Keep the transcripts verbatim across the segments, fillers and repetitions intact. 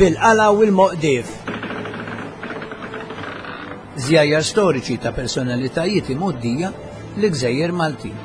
Bil-qala u l-moqdif. Żjajjar storiċi ta' personalitajiet imgħoddija l-Gżejjer Maltin.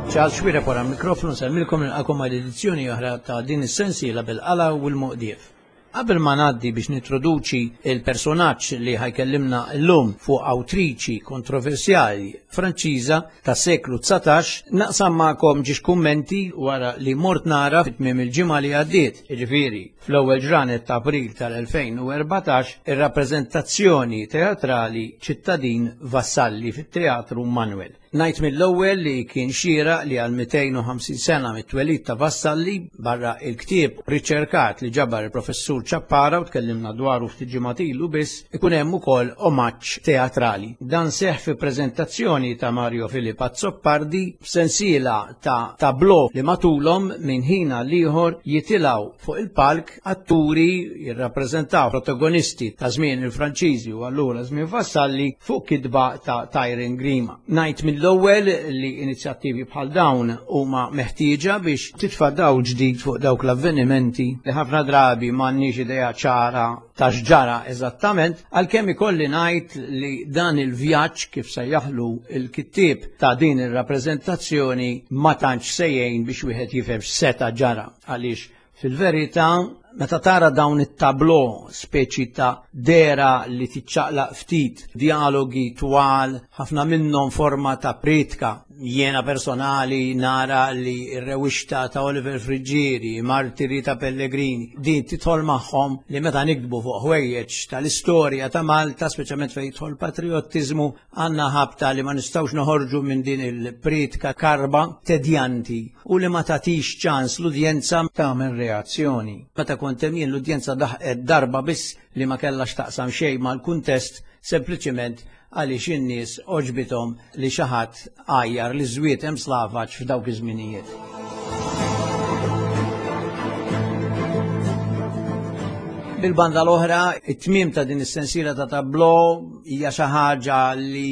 Charles Xuereb wara mikrofonu nsellmilkom nilqakom għal edizzjoni oħra ta' din is-sensiela bil-qala u l-moqdif. Qabel ma ngħaddi biex nintroduċi il-personaġġ li ħa jkellimna llum fuq awtriċi kontroversjali Franċiża ta' seklu dsatax, naqsam magħkom ġiex kummenti wara li mort nara fit-tmiem il-ġimgħa li għaddiet, jiġifieri fl-ewwel ġranet ta' April tal-elfejn u erbatax, ir-rappreżentazzjoni teatrali Ċittadin Vassalli fit-Teatru Manuel. Ngħid mill-ewwel li kien xieraq li għal mitejn u ħamsin sena mit-twelid ta' Vassalli barra il-ktieb riċerkat li ġabar il-professur Ċappara u tkellimna dwaru ftit ġimgħat ilu biss, ikun hemm ukoll omaġġ teatrali. Dan seħħ fi preżentazzjoni ta' Mario Filip Azzopardi f'sensiela ta' tableau li matulhom minn ħin għal ieħor jitilgħu fuq il-palk atturi jirrappreżentaw protagonisti ta' żmien il-Franċiżi u allura żmien Vassalli fuq kitba ta' Tyron Grima. Ngħid mill-ewwel li inizjattivi bħal dawn huma meħtieġa biex titfa' dawl ġdid fuq dawk l-avvenimenti li ħafna drabi m'għandniex idea ċara ta' x'ġara eżattament, għalkemm ikolli ngħid li dan il-vjaġġ kif sejjaħlu il-kittieb ta' din ir-rappreżentazzjoni ma tantx se jgħin biex wieħed jifhem x'seta' ġara, għaliex fil-verità meta tara dawn it-tablo speċi ta' dera li tiċċaqlaq ftit, dialogi twal, ħafna minnhom forma ta' pritka. Jiena personali nara li r-rewixta ta' Oliver Friggieri, Martiri ta' Pellegrini, din tidħol magħhom li meta nikdbu fuq ħwejjeġ tal-istorja ta' Malta, speċjalment fejn jidħol patriottiżmu, għandna ħabta li ma nistgħux noħorġu minn din il-pritka karba tedjanti u li ma tagħtix ċans l-udjenza tagħmel reazzjoni. Meta kont hemm jien l-udjenza daħqet darba biss li ma kellax taqsam xejn mal-kuntest, sempliċiment għaliex in-nies oġbithom li xi ħadd għajjar li żwiet hemm slavaġ f'dawk iż-żminijiet. Bil-banda l-oħra, it-tmiem ta' din is-sensiela ta' tablo hija xi ħaġa li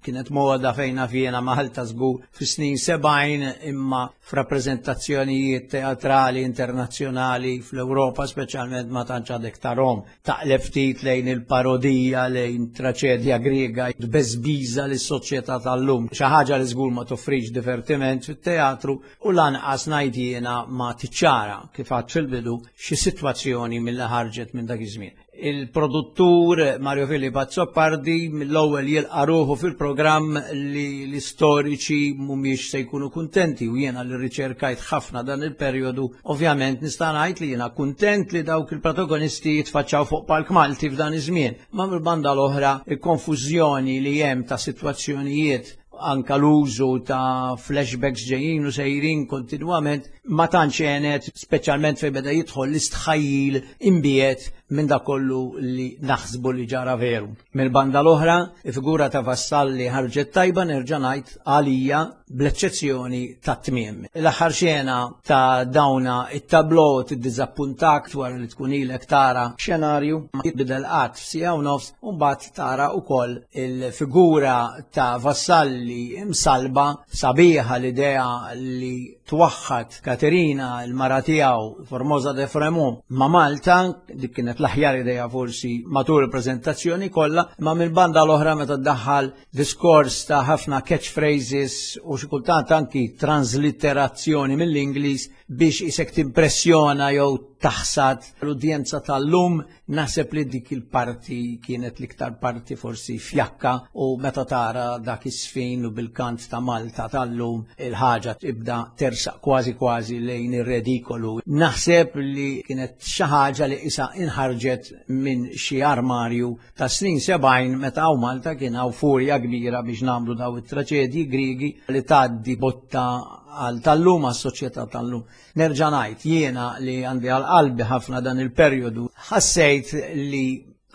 kienet moda fejna fjena Malta żgur fis-snin sebgħin, imma f'rappreżentazzjonijiet teatrali internazzjonali fl-Ewropa speċjalment ma tantx għadek tarhom. Taqleb ftit lejn il-parodija, lejn traċedja Griega, tbeżbiża lis-soċjetà tal-lum. Xi ħaġa li żgur ma toffrix divertiment fit-teatru u lanqas ngħid jiena ma tiċċara kif għad fil-bidu xi sitwazzjoni mill-li ħarġet minn dak iż-żmien. Il-produttur Mario Filip Azzopardi mill-ewwel jilqa' ruħu fil-programm li l-istoriċi mhumiex se jkunu kuntenti u jiena li riċerkajt ħafna dan il-perjodu, ovvjament nista' ngħid li jiena kuntent li dawk il-protagonisti jitfaċċaw fuq palk Malti f'dan iż-żmien. Ma mill-banda l-oħra il-konfużjoni li hemm ta' sitwazzjonijiet, anka l-użu ta' flashbacks ġejjin u sejrin kontinwament ma tantx għenet, speċjalment fejn beda jidħol l-istħajjil imbiet minn dak kollu li naħsbu li ġara veru. Mill-banda l-oħra, il-figura ta' Vassalli ħarġet tajba nerġa' ngħid għalija bl-eċċezzjoni ta' tmiem. L-aħħar xena ta' dawna it-tablo tiddiżappuntak wara li tkun ilek tara xenarju ma jitbidel qatt f'siegħa u nofs, u mbagħad tara wkoll il-figura ta' Vassalli imsalba sabiħa l-idea li twaħħad Katerina il-mara tiegħu Formosa de Fremont ma' Malta, dik kienet l-aħjar idea forsi matul il-preżentazzjoni kollha, imma mill-banda l-oħra meta ddaħħal diskors ta' ħafna catchphrases u xi kultant anki transliterazzjoni mill-Ingliż biex isek timpressjona jew taħsad l-udjenza tal-lum, naħseb li dik il-parti kienet l-iktar parti forsi fjakka, u meta tara dak is-sfin u bil-kant ta' Malta tal-lum il-ħaġa tibda tersaq kważi kważi lejn ir-redikolu. Naħseb li kienet xi ħaġa li issa inħarġet minn xi armarju ta' snin sebgħin meta hawn Malta kien hawn furja kbira biex nagħmlu daw it-traċedji Griegi li tgħaddi botta għal tal-lum, għas-soċjetà tal-lum. Nerġa' ngħid jiena li għandi għal qalbi ħafna dan il-perjodu, ħassejt li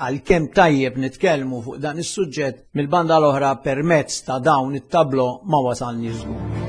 għalkemm tajjeb nitkellmu fuq dan is-suġġett, mill-banda l-oħra permezz ta' dawn it-tablo ma wasalni żgur.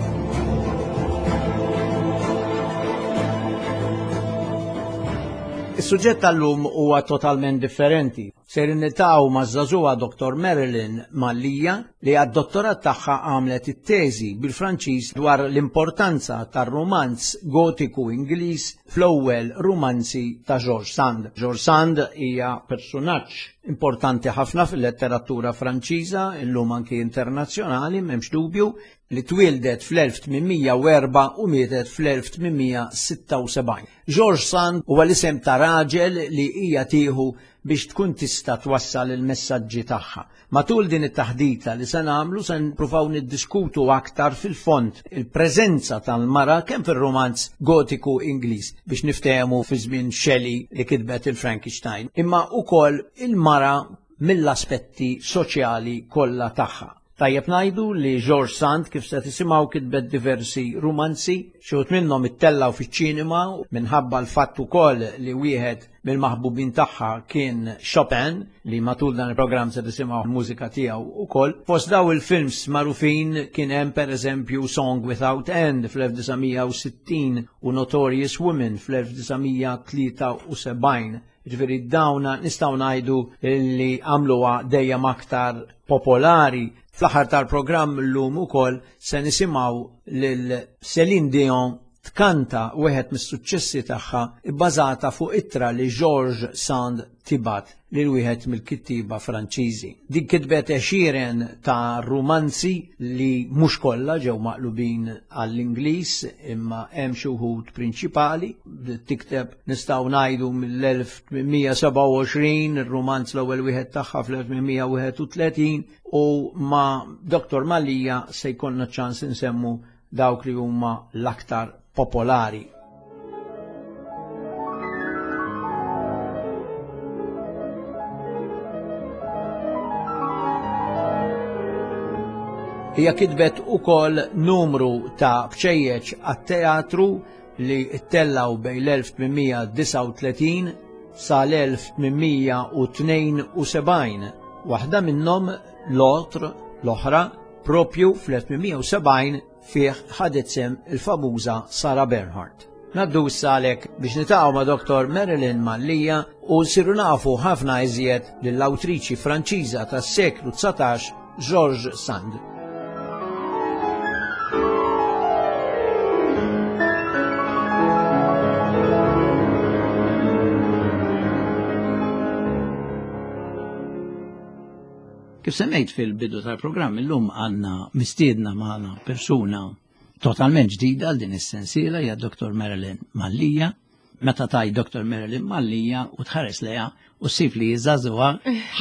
Is-suġġett tal-lum huwa totalment differenti. Ser niltaqgħu maż-żagħżugħa Dottor Marilyn Mallia li għad-dottorat tagħha għamlet it-teżi bil-Franċiż dwar l-importanza tar-rumanz gotiku Ingliż fl-ewwel rumanzi ta' George Sand. George Sand hija personaġġ importanti ħafna fil-letteratura Franċiża, illum anki internazzjonali, m'hemmx dubju, li twildet fl-elf tmien mija u erbgħa u mietet fl-elf tmien mija sitta u sebgħin. George Sand huwa l-isem ta' raġel li hija tieħu biex tkun tista' twassal il-messaġġi tagħha. Matul din it-taħdita li se nagħmlu se nippruvaw niddiskutu aktar fil-fond il-preżenza tal-mara kemm fir-romanz gotiku Ingliż biex niftehmu fi żmien Shelley li kitbet il-Frankenstein, imma wkoll il-mara mill-aspetti soċjali kollha tagħha. Tajjeb ngħidu li George Sand, kif se tisimgħu, kitbet diversi rumanzi, xi wħud minnhom ittellaw fiċ-ċinema minħabba l-fatt ukoll li wieħed mill-maħbubin tagħha kien Chopin, li matul dan il-programm se tisimgħu l-mużika tiegħu ukoll. Fost daw il-films magħrufin kien hemm pereżempju Song Without End fl-elf disa' mija u sittin u Notorious Women fl-elf disa' mija tlieta u sebgħin. Ġifieri dawna nistgħu ngħidu li għamluha dejjem aktar popolari. Fl-aħħar tal-programm llum ukoll se nisimgħu lil Celine Dion tkanta wieħed mis-suċċessi tagħha bbażata fuq ittra li George Sand tibat lil wieħed mill-kittieba Franċiżi. Din kitbet għexieren ta' rumanzi li mhux kollha ġew maqlubin għall-Ingliż, imma hemm xi wħud prinċipali. Tikteb nistgħu ngħidu mill-elf tmien mija sebgħa u għoxrin, ir-rumanz l-ewwel wieħed tagħha fl-elf tmien mija wieħed u tletin, u ma' Dottor Mallia se jkollna ċans insemmu dawk li huma l-aktar popolari. Hija kitbet ukoll numru ta' bċejjeċ għat-teatru li ttellaw bejn l-elf tmien mija disgħa u tletin sa l-elf tmien mija u tnejn u sebgħin. Waħda minnhom l-Autre, l-oħra, propju fl-elf tmien mija u sebgħin fih ħadet sem il-famuża Sarah Bernhardt. Naddu issa għalhekk biex niltaqgħu ma' Dottor Marilyn Mallia u nsiru nafu ħafna iżjed lill-awtriċi Franċiża tas-seklu dsatax, George Sand. Kif semmejt fil-bidu tal-programm, illum għandna mistiedna magħna persuna totalment ġdida għal din is-sensiela, hija Dottor Marilyn Mallia. Meta taj Dottor Marilyn Mallia u tħares lejha u ssib li żagħżugħa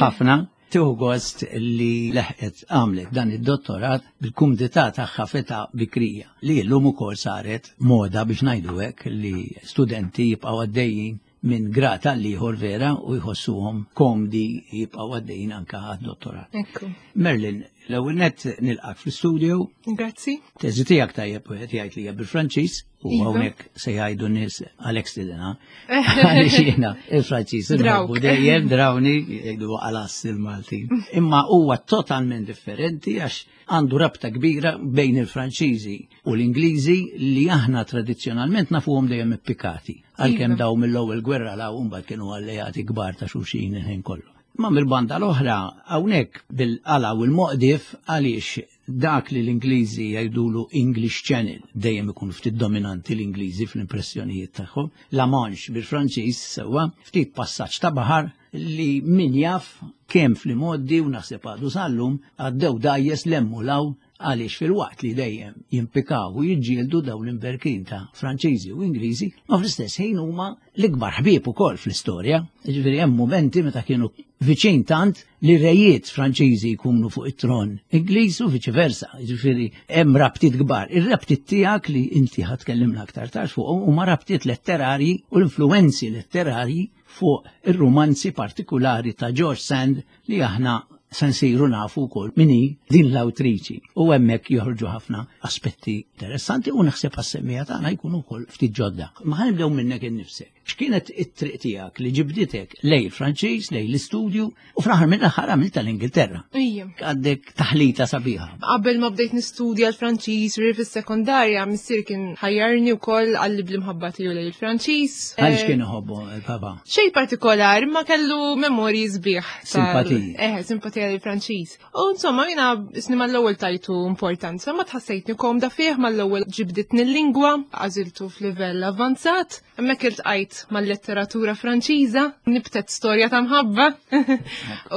ħafna, tieħu gost li leħqet għamlet dan id-dottorat bil-kumdità tagħha feta bikrija, li llum ukoll saret moda biex ngħidu hekk li studenti jibqgħu għaddejjin minn grad għal ieħor vera u jħossuhom komdi jibqgħu għaddejjin anke għad-dottorat. Ekku. Marilyn, l-ewwel nett nilqak fl-istudio. Grazzi. Teżi tiegħek tajjeb wieħed jgħid li hija bil-Franċiż u Iva. hawnhekk se jgħidu nies Alex Tidena. Għaliex jiena il-Franċiż Drawk. inħobbu dejjem drawni jgħidu għalas il-Maltin. Imma huwa totalment differenti għax għandu rabta kbira bejn il-Franċiżi u l-Ingliżi li aħna tradizzjonalment nafuhom dejjem ippikati. Għalkemm Iva. daw mill-ewwel gwerra law mbagħad kienu alleati kbar ta' xulxin il-ħin kollu. Ma mill-banda l-oħra hawnhekk bil-qala u l-moqdif għaliex dak li l-Ingliżi jgħidulu English Channel, dejjem ikunu ftit dominanti l-Ingliżi fl-impressjonijiet tagħhom, La Manche bil-Franċiż sewwa, ftit passaġġ ta' baħar li min jaf kemm fl-imgħoddi u naħseb għadu sal-lum għaddew dgħajjes lemmu law, għaliex fil-waqt li dejjem jimpikaw u jiġġieldu dawn l-imberkin ta' Franċiżi u Ingliżi, ma fl-istess ħin huma l-ikbar ħbieb ukoll fl-istorja. Jiġifieri hemm momenti meta kienu viċin tant li rejiet Franċiżi jkunu fuq it-tron Ingliż u viċi versa. Jiġifieri hemm rabtiet kbar. Ir-rabtiet tiegħek li inti ħa tkellimna aktar tard fuq huma rabtiet letterarji u l-influenzi letterarji fuq ir-romanzi partikulari ta' George Sand li aħna se nsiru nafu wkoll min hi din l-awtriċi. U hemmhekk joħorġu ħafna aspetti interessanti u naħseb għas-semmija tagħna jkunu wkoll ftit ġodda. Ma ħa nibdew minnek innifsek. X'kienet it-triq tiegħek li ġibditek lejn il-Franċiż, lejn l-istudju u fl-aħħar mill-aħħar għamilt tal-Ingilterra. Ija. Għandek taħlita sabiħa. Qabel ma bdejt nistudja l-Franċiż ri fis-sekondarja, missier kien ħajjarni wkoll għalli bl-imħabba tiegħu lejn il-Franċiż. Għaliex kien iħobbu il-papa? Xejn partikolari, ma kellu memorji sbieħ. Simpatiji. Eh, simpatija lejn il-Franċiż. U insomma, jiena isni mal-ewwel tajtu importanza, ma tħassejtni komda fih mal-ewwel ġibditni l-lingwa, għażiltu f'livell avanzat, hemmhekk iltqajt mal-letteratura Franċiża, nibtet storja ta' mħabba.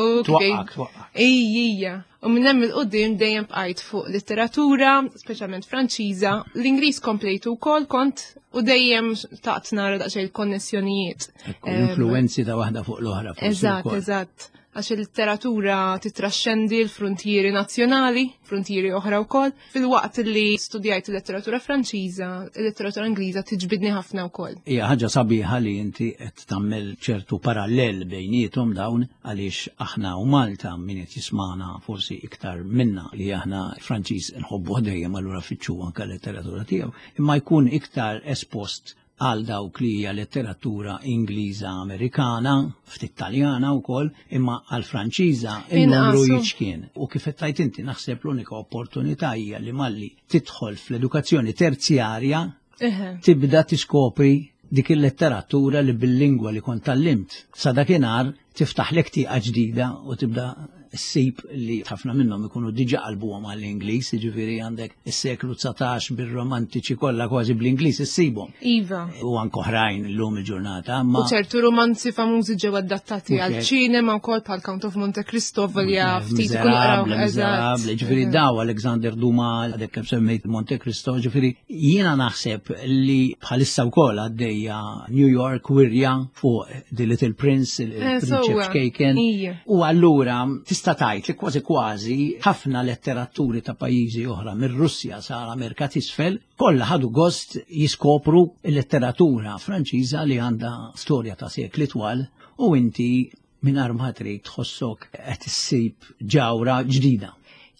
U Twaqqak, twaqqak. Ejjija. U minn hemm il-qudiem dejjem bqajt fuq letteratura, speċjalment Franċiża, l-Ingliż komplejtu wkoll kont u dejjem taqt nara daqsxejn il-konnessjonijiet. Ekku, l-influenzi ta' waħda fuq l-oħra. forsi Eżatt, wkoll. eżatt. Għax il-letteratura titraxxendi l-frontieri nazzjonali, frontieri oħra wkoll. Fil-waqt li studjajt il-letteratura Franċiża, il-letteratura Ingliża tiġbidni ħafna wkoll. Hija ħaġa sabiħa li inti qed tagħmel ċertu parallel bejniethom dawn għaliex aħna u Malta min qed jismana forsi iktar minna li aħna Franċiż nħobbu dejjem allura fitxu anke letteratura tiegħu, imma jkun iktar espost għal dawk li hija letteratura Ingliża Amerikana, ftit Taljana wkoll, imma għal Franċiża il-numru Inqasu. jiċkien. U kif qed tgħid inti naħseb l-unika opportunità hija li malli tidħol fl-edukazzjoni terzjarja Eħe. tibda tiskopri dik il-letteratura li bil-lingwa li kont tallimt. Sa dakinhar tiftaħlek tieqa ġdida u tibda ssib li ħafna minnhom ikunu diġà qalbuhom għall-Ingliż, jiġifieri għandek is-seklu dsatax bir-romantiċi kollha kważi bl-Ingliż issibhom. Iva. U anke oħrajn illum il-ġurnata, ma U ċertu romanzi famużi ġew adattati Mhux għal hekk. ċinema wkoll bħal Count of Monte Cristo volja ftit ikunu qraw. Miserable, miserable, ġifieri daw Alexander Dumas, għadek kemm semmejt Monte Cristo, ġifieri jiena naħseb li bħalissa wkoll għaddejja New York wirja fuq The Little Prince, Eh, il-Prinċep sewwa. Ċkejken. Ija. U allura tista' tgħid li kważi kważi ħafna letteraturi ta' pajjiżi oħra mir-Russja sa l-Amerika t'isfel kollha ħadu gost jiskopru l-letteratura Franċiża li għandha storja ta' sekli twal u inti mingħajr ma trid tħossok qed issib ġawra ġdida.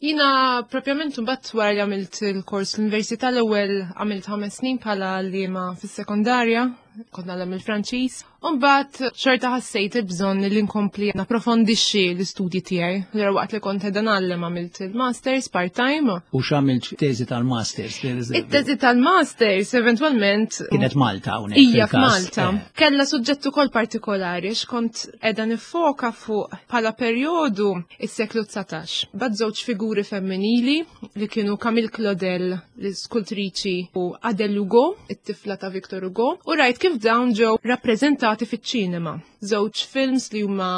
Jina propjament mbagħad wara li għamilt il-kors l-università l-ewwel għamilt ħames snin bħala għalliema fis-sekondarja, kont nagħlem il-Franċiż. U mbagħad xorta ħassejt il-bżonn li nkompli napprofondixxi l-istudji tiegħi. Allura waqt li kont qiegħda ngħallem għamilt il-masters part-time. U x'għamilt teżi tal-masters? It-teżi tal-masters eventwalment Kienet Malta hawnhekk. Ija fil-każ. f'Malta. Eh, Kella suġġett ukoll partikolari x'kont qiegħda nifoka fuq bħala perjodu is-seklu dsatax. Bad żewġ figuri femminili li kienu Camille Claudel, l-iskultriċi, u Adele Hugo, it-tifla ta' Victor Hugo, u rajt kif dawn ġew rappreżentati fiċ-ċinema. Żewġ films li huma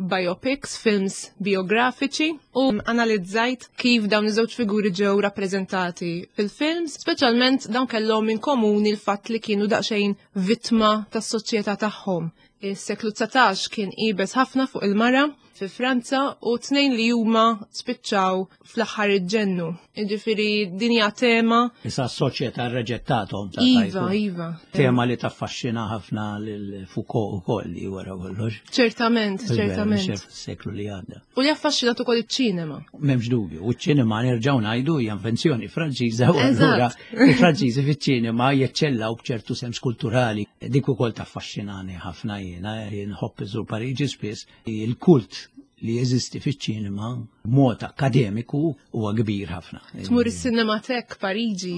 biopics, films biografiċi, u analizzajt kif dawn iż-żewġ figuri ġew rappreżentati fil-films, speċjalment dawn kellhom in komuni l-fatt li kienu daqsxejn vittma tas-soċjetà tagħhom. Is-seklu dsatax kien ibes ħafna fuq il-mara fi Franza u tnejn li huma spiċċaw fl-aħħar iġġennu. Jiġifieri din hija tema. Issa s-soċjetà rreġettathom ta' Iva, tajtu. iva. Tema li taffaxxina ħafna lil Foucault ukoll li wara kollox. Ċertament, ċertament. Seklu li għadda. U li affaxxinat ukoll iċ-ċinema. M'hemmx dubju. U ċ-ċinema nerġgħu ngħidu hija invenzjoni Franċiża u allura Eżatt. il-Franċiżi fiċ-ċinema jeċċellaw b'ċertu sens kulturali. Dik ukoll taffaxxinani ħafna jiena, jien nħobb iżur Pariġi spiss, il-kult li jeżisti fiċ-ċinema b'mod akademiku huwa kbir ħafna. Tmur is-Cinematek Pariġi,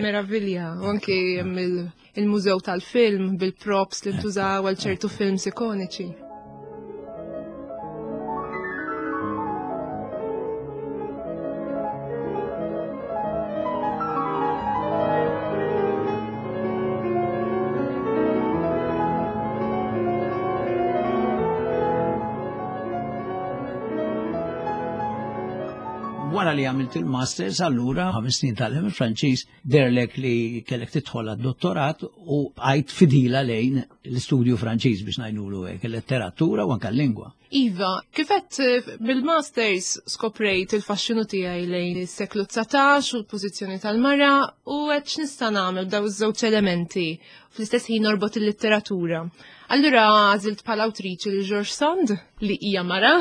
meravilja, u anki hemm il- il-mużew tal-film bil-props li ntużaw għal ċertu films ikoniċi. Wara li għamilt il-masters, allura ħames snin tal il-Franċiż derlek li kellek tidħol għad-dottorat u għajt fidila lejn l-istudju Franċiż biex ngħidulu hekk, il-letteratura u anke l-lingwa. Iva, kifet bil-masters skoprejt il-faxxinu tiegħi lejn is-seklu dsatax u l-pożizzjoni tal-mara u għedt x'nista' nagħmel b'daw iż-żewġ elementi fl-istess ħin norbot il-letteratura. Allura għażilt bħala awtriċi li George Sand, li hija mara,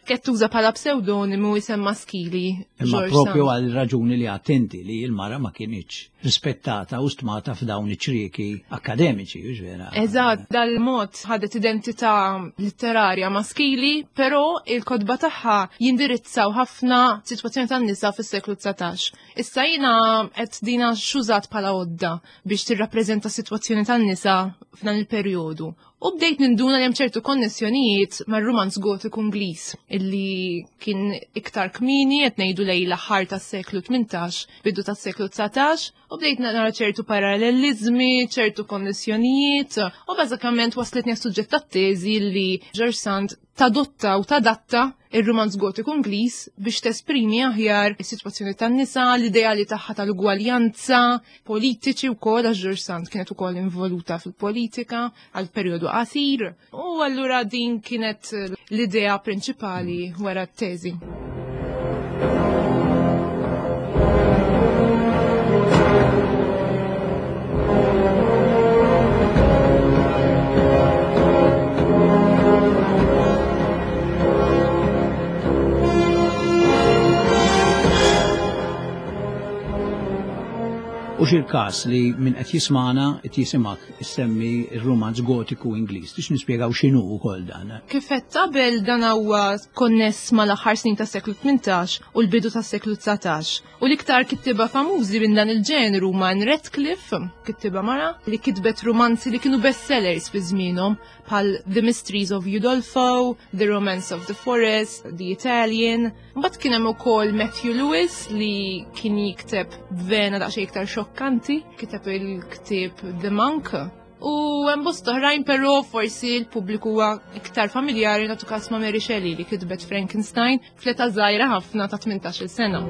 kienet tuża bħala pseudonimu isem maskili. Imma George propju Sand. għal raġuni li attenti li l-mara ma kienx rispettata u stmata f'dawn iċ-ċrieki akademiċi, hux vera? Eżatt, dal-mod ħadet identità letterarja maskili, però il-kotba tagħha jindirizzaw ħafna sitwazzjoni tan-nisa fis-seklu dsatax. Issa jiena qed dina xużat bħala għodda biex tirrappreżenta sitwazzjoni tan-nisa f'dan il-perjodu. U bdejt ninduna li hemm ċertu konnessjonijiet mar-rumanz gotiku Ingliż illi kien iktar kmieni, qed ngħidu lejn l-aħħar tas-seklu tmintax, bidu tas-seklu dsatax, u bdejt nara ċertu parallelizmi, ċertu konnessjonijiet, u bażikament waslitni għas-suġġett tat-teżi li George Sand tadotta u tadatta ir-rumanz gotiku Ingliż biex tesprimi aħjar is-sitwazzjoni tan-nisa, l-ideali tagħha tal-ugwaljanza, politiċi wkoll, għax George Sand kienet ukoll involuta fil-politika għal perjodu qasir, u allura din kienet l-idea prinċipali wara t-teżi. U xil-kas li minn qed jismana qed jisimak issemmi r-rumanz gotiku Ingliż. Tix nispjegaw x'inhu wkoll dan? Kif qed qabel dan huwa konness mal-aħħar snin tas-seklu tmintax u l-bidu tas-seklu dsatax. U l-iktar kittieba famużi minn dan il-ġenru huma Ann Radcliffe, kittieba mara, li kitbet rumanzi li kienu bestsellers fi żmienhom bħal The Mysteries of Udolpho, The Romance of the Forest, The Italian. Mbagħad kien hemm ukoll Matthew Lewis li kien jikteb b'vena daqsxejn iktar xokkanti, kiteb il-ktieb The Monk. U hemm bosta oħrajn, però forsi l-pubbliku huwa iktar familjari nagħtu każ ma' Mary Shelley li kitbet Frankenstein fl-età żgħira ħafna ta' tmintax-il sena.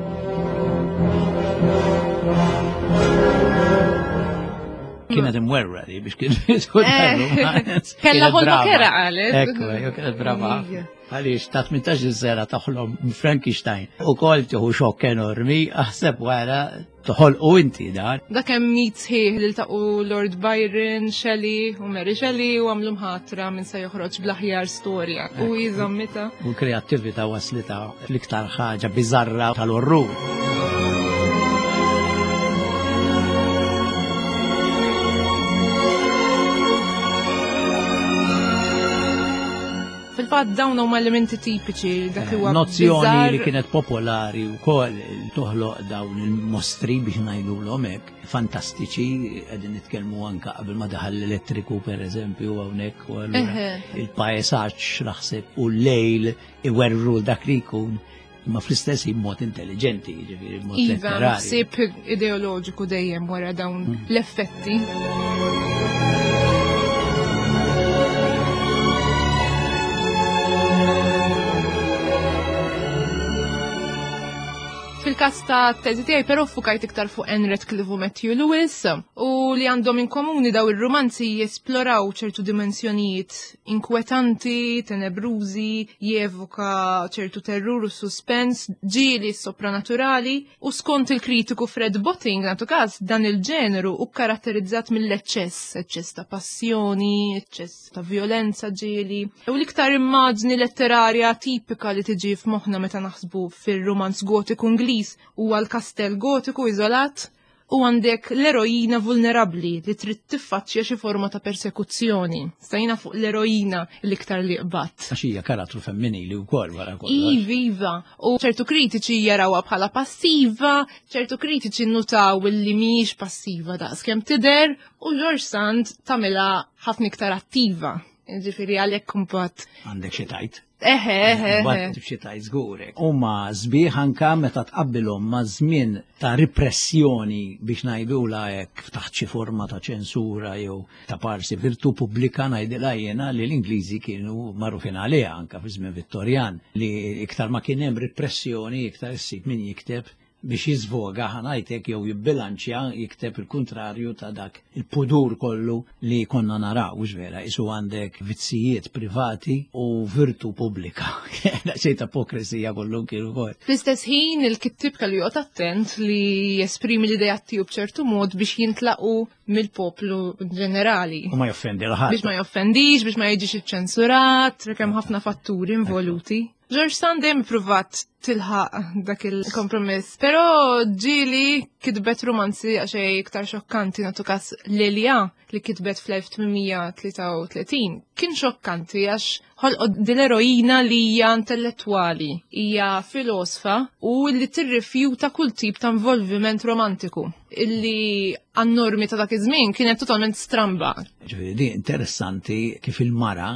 Kienet imwerra li biex kienet Eh, Kella ħolma kera qalet. Ekku, jew kienet brava. Għaliex ta' tmintax-il sena toħlom Frankenstein. U kol tieħu xokk enormi, aħseb wara toħolqu inti dan. Dak hemm mit sħiħ li ltaqu Lord Byron, Shelley u Mary Shelley u għamlu mħatra minn se joħroġ bl-aħjar storja. U jiżommita. U l-kreattività waslita l-iktar ħaġa biżarra tal-orrur. Fil-fatt dawn huma elementi tipiċi dak li huwa Nozzjoni bizzar. li kienet popolari wkoll toħloq dawn il-mostri biex ngħidulhom hekk, fantastiċi, qegħdin nitkellmu anke qabel ma daħal l-elettriku pereżempju hawnhekk u allura Eħe. il-pajsaġġ naħseb u l-lejl iwerru dak li jkun, imma fl-istess ħin mod intelligenti, jiġifieri mod Iva, letterarju. ħsieb ideoloġiku dejjem wara dawn Mm. l-effetti. Fil-kas ta' teżi tiegħi però fukajt iktar fuq Ann Radcliffe u Matthew Lewis, u li għandhom in komuni daw ir-romanzi jesploraw ċertu dimensjonijiet inkwetanti, tenebrużi, jevoka ċertu terrur u suspens, ġieli sopranaturali, u skont il-kritiku Fred Botting, nagħtu każ, dan il-ġeneru u karatterizzat mill-eċċess, eċċess ta' passjoni, eċċess ta' violenza ġieli. U l-iktar immaġni letterarja tipika li tiġi f'moħħna meta naħsbu fir-romanz gotiku Ingliż huwa l-kastell gotiku iżolat, u għandek l-eroina vulnerabli li trid tiffaċċja xi forma ta' persekuzzjoni. Stajna fuq l-eroina l-iktar li qbatt. Għax hija karattru femminili wkoll wara kollox. Iva, iva. U ċertu kritiċi jarawha bħala passiva, ċertu kritiċi nnutaw li mhijiex passiva daqs kemm tidher, u George Sand tagħmilha ħafna iktar attiva. Ġifieri għalhekk imbagħad. Għandek xi tajt. Eħe, eħe, eħe. Mbagħad xi tajt żgurek. Huma sbieħ anka meta tqabbilhom ma' żmien ta' repressjoni biex ngħidulha hekk taħt xi forma ta' ċensura jew ta' parsi virtu pubblika ngħidilha jiena li l-Ingliżi kienu magħrufin għaliha anka fi żmien Vittorjan, li iktar ma kien hemm repressjoni iktar issib min jikteb biex jizvoga ħanajtek jew jibbilanċja jikteb il-kontrarju ta' dak il-pudur kollu li konna naraw, mhux vera, isu għandek vizzijiet privati u virtu pubblika. Xejn ta' ipokrisija kollu kienu kol. Fl-istess ħin il-kittib kellu joqgħod attent li jesprimi l-idea tiegħu b'ċertu mod biex jintlaqu mill-poplu ġenerali. U ma joffendi l-ħadd. Biex ma joffendix, biex ma jiġix iċċensurat, kemm ħafna fatturi involuti. George Sand dejjem ippruvat tilħaq dak il-kompromiss. Però ġieli kitbet romanzi għaxej iktar xokkanti, nagħtu kas Lelia li kitbet fl-elf tmien mija tlieta u tletin kien xokkanti għax ħolqot dil-eroina li hija intellettwali, hija filosfa u li tirrifjuta kull tip ta' involviment romantiku illi għan-normi ta' dak iż-żmien kienet totalment stramba. Ġifieri di interessanti kif il-mara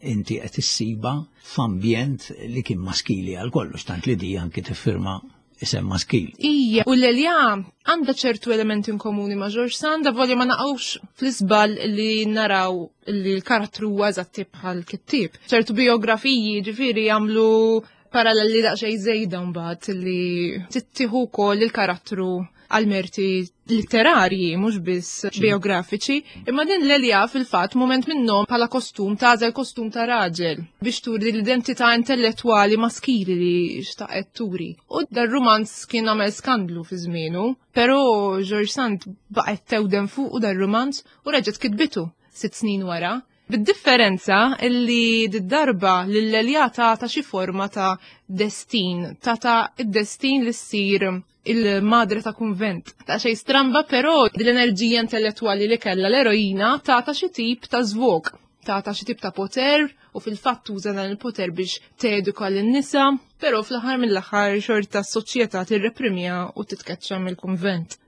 inti qed issiba f'ambjent li kien maskili għal kollox, tant li di anki tiffirma isem maskil. Ija, u Lelia għandha ċertu elementi in komuni ma' George Sand, volja ma naqgħux fl-iżball li naraw li l-karattru huwa eżatti bħal kittieb. Ċertu biografiji ġifieri jagħmlu paralleli daqsxejn żejda mbagħad li tittieħu wkoll il-karattru għal merti litterarji, mhux biss biografiċi. Imma din Lelia fil-fatt moment minnhom bħala kostum tagħżel kostum ta' raġel biex turi l-identità intellettwali maskili li xtaqet turi. U dar-rumanz kien għamel skandlu fi żmienu, però George Sand baqgħet tewden fuq u dar-rumanz u reġgħet kitbitu sitt snin wara. Bid-differenza illi d-darba l-Lelia ta' ta' xi forma ta' destin, ta' ta' id-destin li ssir il-madre ta' kunvent. Ta' xej stramba, però l-enerġija intellettuali li kella l-eroina ta' ta' xi tip ta' zvok, ta' ta' xi tip ta' poter u fil-fatt tuża dan il-poter biex teduka lin-nisa, però fl-aħħar mill-aħħar xorta s-soċjetà tirreprimja u titkeċċa mill-kunvent.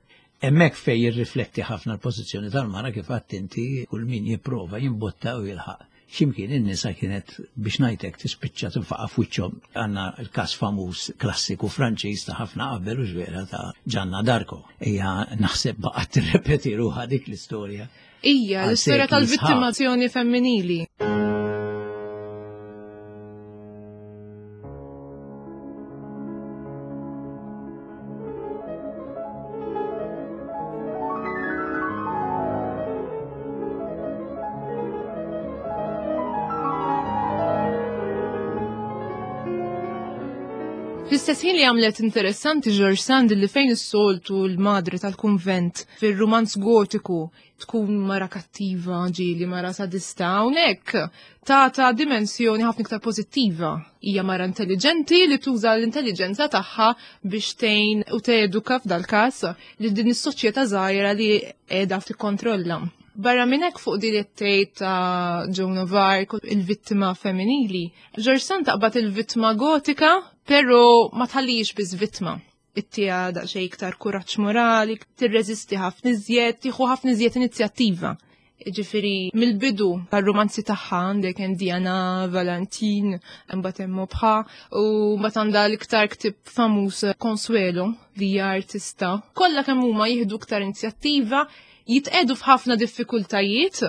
Hemmhekk fej jirrifletti ħafna l-pożizzjoni tal-mara, kif għedt inti, kull min jipprova jimbotta u jilħaq. Ximkien in-nisa kienet, biex ngħidlek, tispiċċa tinfaqa' f'wiċċhom. Għandna l-każ famuż klassiku Franċiż ta' ħafna qabel u ġvera ta' Ġanna d'Arco. Ija, naħseb baqgħet tirrepeti ruħha dik l-istorja. Ija, għal l-istorja sekli sħaħ. Tal-vittimazzjoni femminili. Fl-istess ħin li għamlet interessanti George Sand li fejn is-soltu l-madre tal-kunvent fir-rumanz gotiku tkun mara kattiva, ġieli mara sadista, hawnhekk ta' dimensjoni ħafna iktar pożittiva. Hija mara intelligenti li tuża l-intelligenza tagħha biex tgħin u teduka f'dal-każ li din is-soċjetà żgħira li qiegħda tikkontrolla. Barra minn hekk, fuq din it-tejt ta' Joan of Arc, il-vittima femminili, George Sand taqbad il-vittma gotika, però ma tħallix biss vittma. Ittiha daqsxejn iktar kuraġġ morali, tirreżisti ħafna iżjed, tieħu ħafna iżjed inizjattiva. Ġifieri, mill-bidu tal-romanzi tagħha għandek hemm Diana, Valentin, imbagħad hemm Maupeou, u mbagħad għandha l-iktar ktieb famuż Consuelo li hija artista. Kollha kemm huma jieħdu iktar inizjattiva, jitqedu f'ħafna diffikultajiet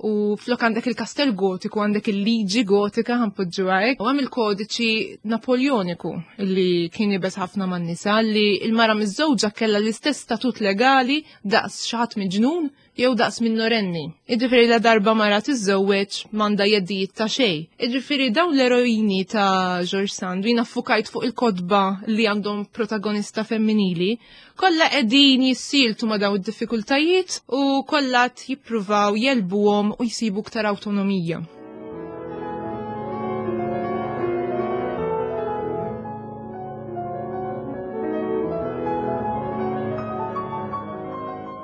u flok għandek il-kastell gotiku, għandek il-liġi gotika ħa npoġġu hekk, u hemm il-kodiċi napoleoniku li kien iebes ħafna man-nisa, li il-mara miżżewġa kellha l-istess statut legali daqs xi ħadd miġnun jew daqs minorenni. Iġifieri la darba mara tiżżewweġ m'għandha jeddijiet ta' xejn. Iġifieri dawn l-eroini ta' George Sand, jien affukajt fuq il-kotba li għandhom protagonista femminili, kollha qegħdin jissieltu ma' dawn id-diffikultajiet u kollha jippruvaw jegħlbuhom u jsibu iktar awtonomija.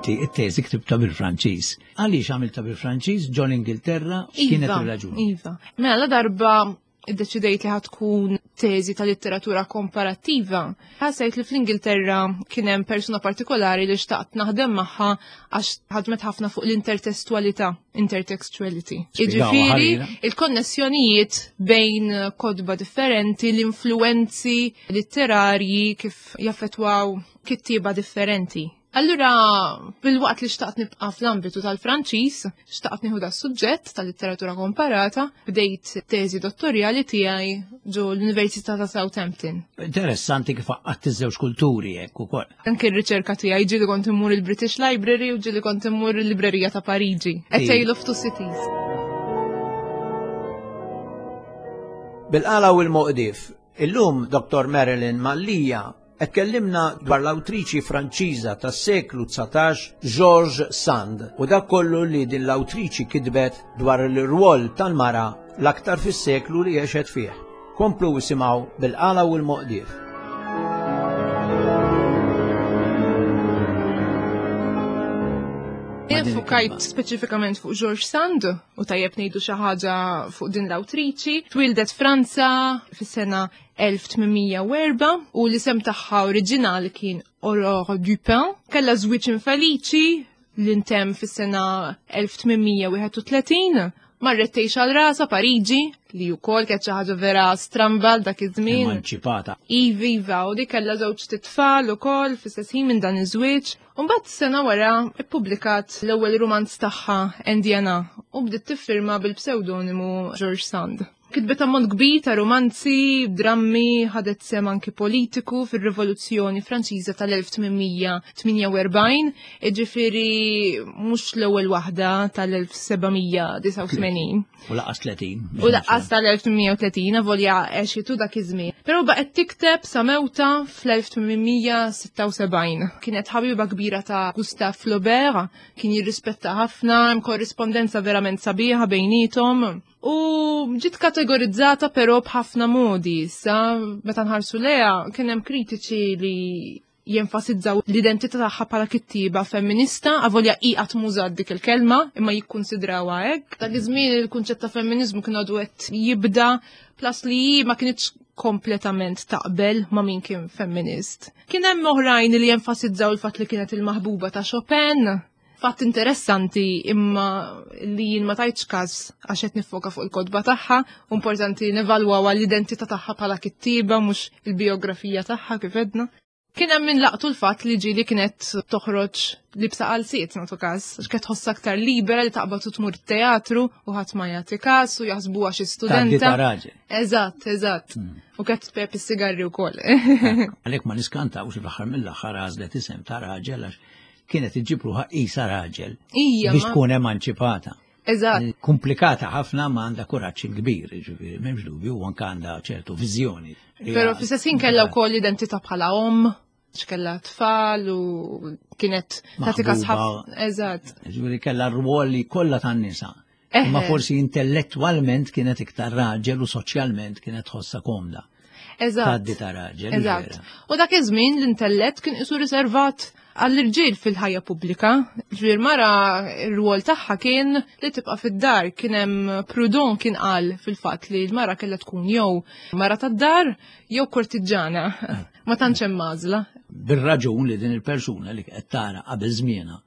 It-teżi ktibta bil-Franċiż. Għaliex għamilta bil-Franċiż ġol Ingilterra, x'kienet Iva, ir-raġuni? Iva. Mela la darba iddeċidejt li ħa tkun teżi ta' litteratura komparattiva. Ħassejt li fl-Ingilterra kien hemm persuna partikolari li xtaqt naħdem magħha għax ħadmet ħafna fuq l-intertestualità, intertextuality. Spjegaw Jiġifieri ħalina. il-konnessjonijiet bejn kotba differenti, l-influenzi litterarji kif jaffettwaw kittieba differenti. Allura, bil-waqt li xtaqt nibqa' fl-ambitu tal-Franċiż, xtaqt nieħu da suġġett tal-litteratura komparata, bdejt teżi dottorjali tiegħi ġo l-Università ta' Southampton. Interessanti kif għaqqadt iż-żewġ kulturi hekk ukoll. Anke r-riċerka tiegħi ġieli kont immur il-British Library u ġieli kont immur il-Librerija ta' Pariġi. A Sì. Tale of Two Cities. Bil-qala u l-moqdif, illum Doktor Marilyn Mallia qed tkellimna dwar l-awtriċi Franċiża tas-seklu dsatax George Sand u dak kollu li din l-awtriċi kitbet dwar l-rwol tal-mara l-aktar fis-seklu li għexet fih. Komplu isimgħu bil-qala u l-moqdief. Fukajt speċifikament fuq George Sand u tajjeb ngħidu xi ħaġa fuq din l-awtriċi. Twildet Franza fis-sena elf tmien u erbgħa u l-isem tagħha oriġinali kien Aurore Dupin. Kellha żwieġ infeliċi li ntemm fis-sena elf tmien wieħed u tletin. Marret tgħix għal rasha Pariġi, li wkoll kienet xi ħaġa vera stramba dak iż-żmien. Emanċipata. Iva, iva, u di kellha żewġ titfal ukoll fl-istess ħin minn dan iż-żwieġ. U mbagħad sena wara ippubblikat l-ewwel rumanz tagħha Indiana u bdiet tiffirma bil-pseudonimu George Sand. Kitbet ammont kbir ta' romanzi, drammi, ħadet sem anki politiku fir-Rivoluzzjoni Franċiża tal-elf tmien tmienja u erbgħin, jiġifieri mhux l-ewwel waħda tal-elf seba' mija disgħa u tmenin. U laqqas tletin. U laqqas tal-elf tmien u tletin, avolja għexitu dak iż-żmien. Però baqgħet tikteb sa mewta fl-elf tmien sitta u sebgħin. Kienet ħabiba kbira ta' Gustave Flaubert, kien jirrispetta ħafna, hemm korrispondenza verament sabiħa bejnietom. U ġiet kategorizzata però b'ħafna modi. Sa meta nħarsu leha kien hemm kritiċi li jenfasizzaw l-identità tagħha bħala kittieba femminista, avolja hi qatt m'użat dik il-kelma, imma jikkunsidrawha hekk. Dak iż-żmien il-kunċett ta' femminizmu kien għadu qed jibda, plus li hi ma kinitx kompletament taqbel ma' min kien femminist. Kien hemm oħrajn li jenfasizzaw il-fatt li kienet il-maħbuba ta' Chopin. Fatt interessanti imma li jien ma tajtx każ għax qed nifoka fuq il-kotba tagħha, importanti nevalwaw l-identità tagħha bħala kittieba mhux il-biografija tagħha kif edna. Kien hemm min laqtu l-fatt li ġieli kienet toħroġ libsa qalsiet nagħtu każ, għax kienet tħossha aktar libera li taqbad u tmur teatru u ħadd ma jagħti każ u jaħsbuha xi studenta. Tgħaddi ta' raġel. Eżatt, eżatt. U kienet tpep is-sigarri wkoll. Għalhekk ma niskantawx fl-aħħar mill-aħħar għażlet isem ta' raġel għax kienet iġġib ruħha qisha raġel biex tkun emanċipata. Eżatt. Komplikata ħafna ma għandha kuraġġ kbir, jiġifieri m'hemmx dubju, u anke għandha ċertu viżjoni. Però fl-istess ħin kellha wkoll identità bħala omm, x'kellha tfal u kienet tagħti każ ħafna. Eżatt. Jiġifieri kellha rwol li kollha tan-nisa. Imma forsi intellettwalment kienet iktar raġel u soċjalment kienet tħossha komda. Eżatt. Tgħaddi ta' raġel. Eżatt. U dak iż-żmien l-intellett kien isu riservat għall-irġiel fil-ħajja pubblika. Ġifieri mara r-rwol tagħha kien li tibqa' fid-dar. Kien hemm Proudhon kien qal fil-fatt li l-mara kellha tkun jew mara tad-dar jew kortiġġana. Ma tantx hemm għażla. Bir-raġun li din il-persuna li qed tara qabel żmienha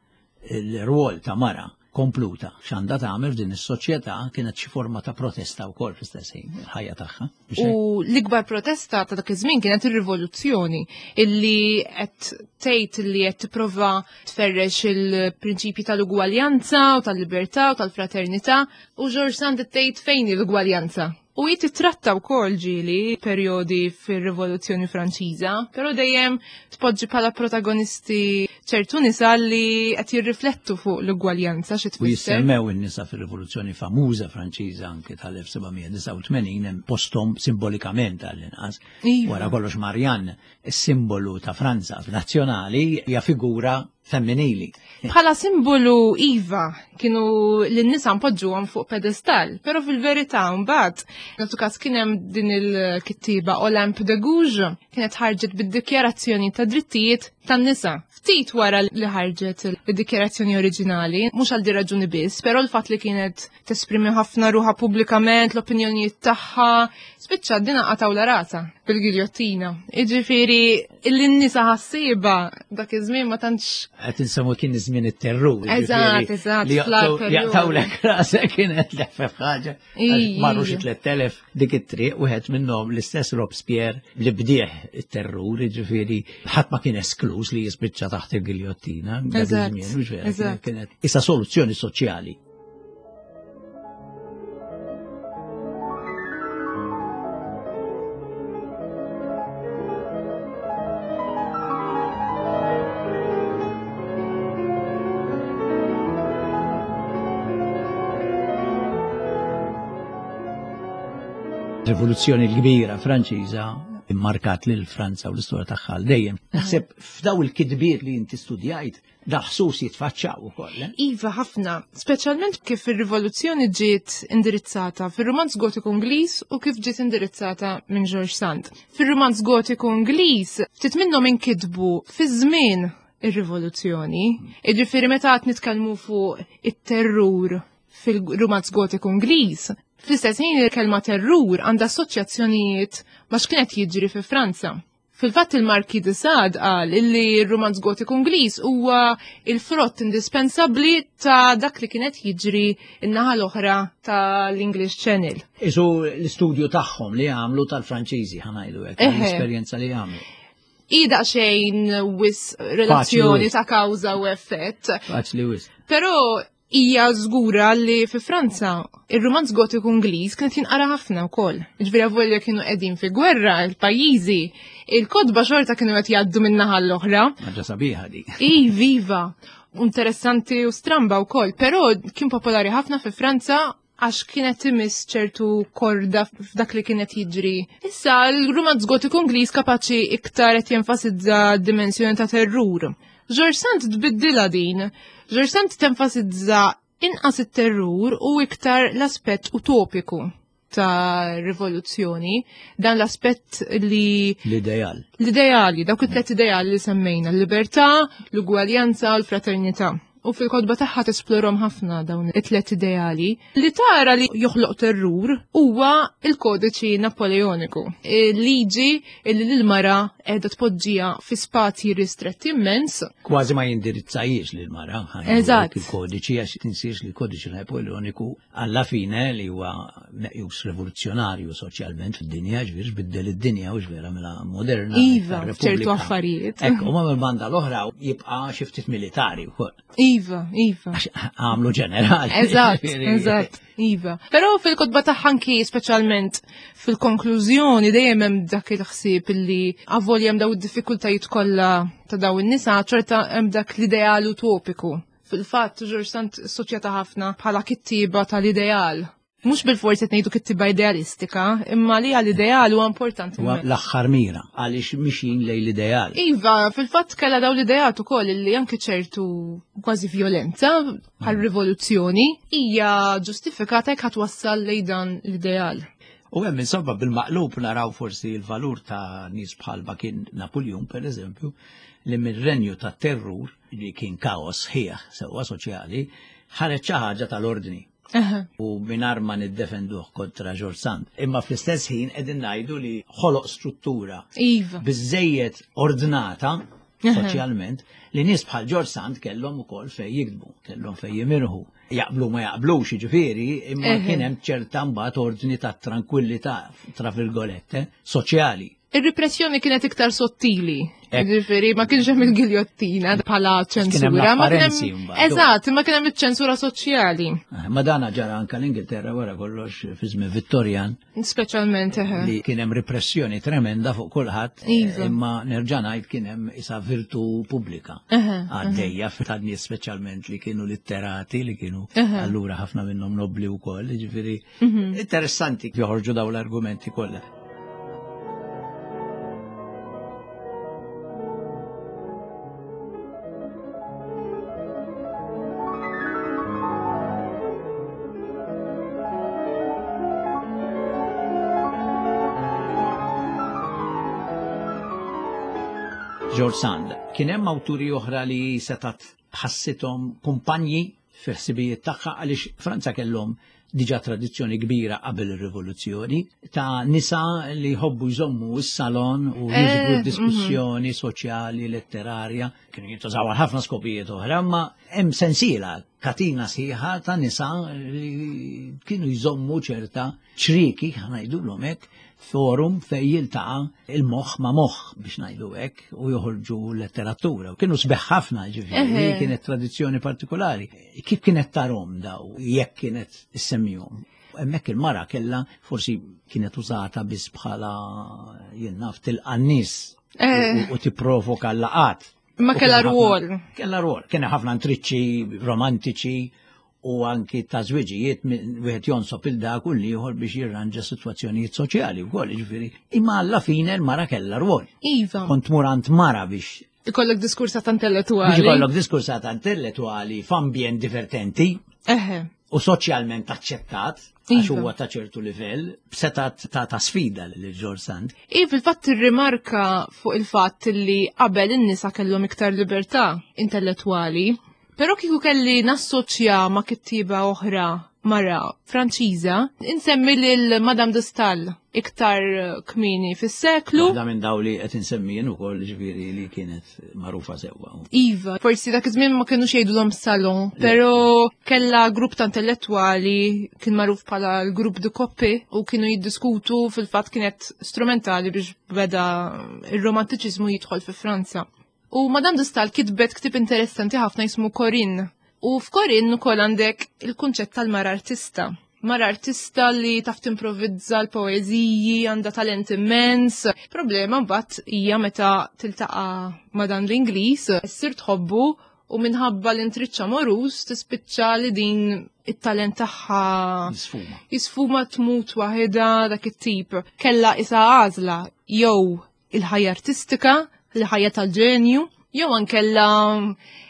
il-rwol ta' mara kompluta x'għandha tagħmel f'din is-soċjetà kienet xi forma ta' protesta wkoll fl-istess ħin il-ħajja tagħha. U l-ikbar protesta ta' dak iż-żmien kienet ir-rivoluzzjoni illi qed tgħid li qed tipprova tferrex il-prinċipji tal-ugwaljanza u tal-libertà u tal-fraternità, u George Sand tgħid fejn hi l-ugwaljanza. U hi titratta wkoll ġieli perjodi fir-Rivoluzzjoni Franċiża, però dejjem tpoġġi bħala protagonisti ċertu nisa li qed jirriflettu fuq l-ugwaljanza xi U tfisser. jissemmew in-nisa fir-Rivoluzzjoni famuża Franċiża anke tal-elf seba' mija disgħa u tmenin hemm posthom simbolikament għall-inqas. Iva. Wara kollox Marianne, is-simbolu ta' Franza nazzjonali, hija figura femminili. Bħala simbolu iva kienu lin-nisa npoġġuhom fuq pedestal, però fil-verità mbagħad nagħtu każ kien hemm din il-kittiba Olympe de Gouges kienet ħarġet bid-dikjarazzjoni ta' drittijiet tan-nisa. Ftit wara li ħarġet id-dikjarazzjoni oriġinali, mhux għal din raġuni biss, però l-fatt li kienet tesprimi ħafna ruħha pubblikament, l-opinjonijiet tagħha, spiċċa din qatgħu la rasa bil-giljottina. Jiġifieri l-nisa ħassieba dak iż-żmien ma tantx Qed insemmu kien iż-żmien it-terrur, Eżatt, jiġifieri eżatt, li fl-agħar jaqtaw- perjodu. jaqtawlek rasek kienet leħfef ħaġa. Ija. Marru xi tliet elef dik it-triq, wieħed minnhom l-istess Robespierre li bdieh it-terrur, jiġifieri ħadd ma kien esklus li jispiċċa taħt il-giljottina. Dak Eżatt, iż-żmien, mhux vera, eżatt. kienet issa soluzzjoni soċjali. Rivoluzzjoni l-kbira Franċiża immarkat lil Franza u l-istorja tagħha dejjem. Naħseb f'daw il-kitbiet li inti studjajt daħsus jitfaċċaw ukoll. Eh? Iva ħafna, speċjalment kif ir-rivoluzzjoni ġiet indirizzata fir-rumanz gotiku Ingliż u kif ġiet indirizzata minn George Sand. Fir-rumanz gotiku Ingliż ftit minnhom inkitbu fi żmien ir-rivoluzzjoni. Jiġifieri meta qed nitkellmu fuq it-terrur fil-rumanz gotiku Ingliż, fl-istess ħin il-kelma terrur għandha assoċjazzjonijiet ma' x'kienet jiġri fi Franza. Fil-fatt il-Marquis de Sade qal illi r-rumanz gotiku Ingliż huwa il-frott indispensabbli ta' dak li kienet jiġri n-naħa l-oħra tal-English Channel. Isu l-istudju tagħhom li għamlu tal-Franċiżi ħa ngħidu hekk, l-esperjenza li għamlu. Ida xejn wisq relazzjoni ta' kawża u effett. Faċli wisq. Però hija żgura li fi Franza ir-rumanz gotiku Ingliż kienet jinqara ħafna wkoll. Ġifieri avolja kienu qegħdin fi gwerra il-pajjiżi, il-kotba xorta kienu qed jgħaddu min-naħa l-oħra. Ħaġa sabiħa di. I viva, interessanti u stramba wkoll, però kien popolari ħafna fi Franza għax kienet imiss ċertu korda f'dak li kienet jiġri. Issa l-rumanz gotiku Ingliż kapaċi iktar qed jenfasizza dimensjoni ta' terrur. George Sand tbiddilha din. George Sand tenfasizza inqas it-terrur u iktar l-aspett utopiku ta' rivoluzzjoni, dan l-aspett li... L-ideal. L-ideali, dawk it-tlet ideali li semmejna, l-libertà, l-ugwaljanza u l-fraternità. U fil-kotba tagħha tesplorhom ħafna dawn it-tlet ideali. Li tara li joħloq terrur huwa il-kodiċi Napoleoniku. Il-liġi li l-mara qiegħda tpoġġiha fi spazji ristretti immens. Kważi ma jindirizzajiex lil mara. Eżatt. Il-kodiċi għax tinsiex li l-kodiċi Napoleoniku alla fine li huwa meqjus rivoluzzjonarju soċjalment fid-dinja, ġifieri biddel id-dinja u ġvera mela moderna. Iva, ċertu affarijiet. Ekk, u ma mill-banda l-oħra jibqa' xi ftit militari wkoll. Iva, iva. Għamlu ġenerali. Eżatt, eżatt, iva. Però fil-kotba tagħha anki speċjalment fil-konklużjoni dejjem hemm dak il-ħsieb illi avolja hemm daw id-diffikultajiet kollha ta' daw in-nisa, ċerta hemm dak l-ideal utopiku. Fil-fatt, George Sand assoċjata ħafna bħala kittiba tal-ideal. Mhux bil-forsi qed ngħidu kittiba idealistika, imma li għall-ideal huwa importanti. Huwa l-aħħar mira għaliex mixjin lejn l-ideal. Iva, fil-fatt kellha dawn l-ideat ukoll li anke ċertu kważi violenza bħal rivoluzzjoni hija ġustifikata jekk ħatwassal lejn dan l-ideal. U hemm insomma bil-maqlub naraw forsi l-valur ta' nies bħalma kien Napoleon pereżempju, li mir-renju ta' terrur li kien kaos ħieħ sewwa soċjali, ħareġ xi ħaġa tal-ordni. U mingħajr ma niddefenduh kontra George Sand. Imma fl-istess ħin qegħdin ngħidu li ħoloq struttura iva. biżejjed ordnata soċjalment li nies bħal George Sand kellhom ukoll fejn jiktbu, kellhom fejn jimirħu. Jaqblu ma jaqblux jiġifieri, imma kien hemm ċerta mbagħad ordni ta' tranquillità tra virgolette soċjali. Ir-repressjoni kienet iktar sottili. Ġifieri ma kienx hemm il-giljottina bħala ċensura, ma kien hemm Eżatt, ma kien hemm iċ-ċensura soċjali. Ma dana ġara anke l-Ingilterra wara kollox fi żmien Vittorjan. Speċjalment eħe. Li kien hemm repressjoni tremenda fuq kulħadd, imma nerġa' ngħid kien hemm isa virtu pubblika. Għaddejja ta' nies speċjalment li kienu litterati, li kienu allura ħafna minnhom nobli wkoll, ġifieri interessanti joħorġu dawn l-argumenti kollha. George Sand. Kien hemm awturi oħra li setat ħassithom kumpanji fil-ħsibijiet tagħha għaliex Franza kellhom diġà tradizzjoni kbira qabel ir-rivoluzzjoni ta' nisa li jħobbu jżommu s-salon u jiġbru diskussjoni soċjali, letterarja, kienu jintużaw għal ħafna skopijiet oħra, imma hemm sensiela katina sħiħa ta' nisa li kienu jżommu ċerta ċriki, ħa ngħidulhom hekk, forum fej jiltaqa' il-moħħ ma' moħħ biex ngħidu hekk u joħorġu letteratura. Kienu sbeħ ħafna ġifieri, kienet tradizzjoni partikolari. Kif kienet tarhom daw jekk kienet issemmihom? Hemmhekk il-mara kellha forsi kienet użata biss bħala jien naf tilqa' n-nies u tipprovoka l-laqat. Ma kellha rwol. Kellha rwol. Kien ħafna intriċċi romantiċi U anki ta' żwiġijiet wieħed jonsob il dak u l-ieħor biex jirranġa sitwazzjonijiet soċjali wkoll, jiġifieri. Imma alla fine l-mara kellha rwol. Iva. Kont tmur għand mara biex ikollok diskursata intellettuali. Biex ikollok diskursata intellettuali f'ambjent divertenti. Eħe. U soċjalment aċċettat, għax huwa ta' ċertu livell, b'setat ta' ta' sfida lil George Sand. I fil-fatt tirrimarka fuq il-fatt li qabel in-nisa kellhom iktar libertà intellettwali, però kieku kelli nassoċja ma' kittieba oħra mara Franċiża, insemmi lil Madame de Staël iktar kmieni fis-seklu. Waħda minn daw li qed insemmi jien ukoll, ġifieri li kienet magħrufa sewwa. Iva, forsi dak iż-żmien ma kinux jgħidulhom salon, però kellha grupp ta' intellettwali kien magħruf bħala l-grupp de Coppet u kienu jiddiskutu, fil-fatt kienet strumentali biex beda ir-romantiċiżmu jidħol fi Franza. U Madame de Staël kitbet ktieb interessanti ħafna jismu Corinne. U f'Corinne ukoll għandek il-kunċett tal-mara artista. Mara artista li taf timprovizza l-poeżiji, għandha talent immens. Problema mbagħad hija meta tiltaqa' ma' dan l-Ingliż, issir tħobbu u minħabba l-intriċċ amoruż tispiċċa li din it-talent tagħha jisfuma. Jisfuma, tmut waħedha, dak it-tip. Kella isa għażla jew il-ħajja artistika, il-ħajja tal-ġenju, jew ankella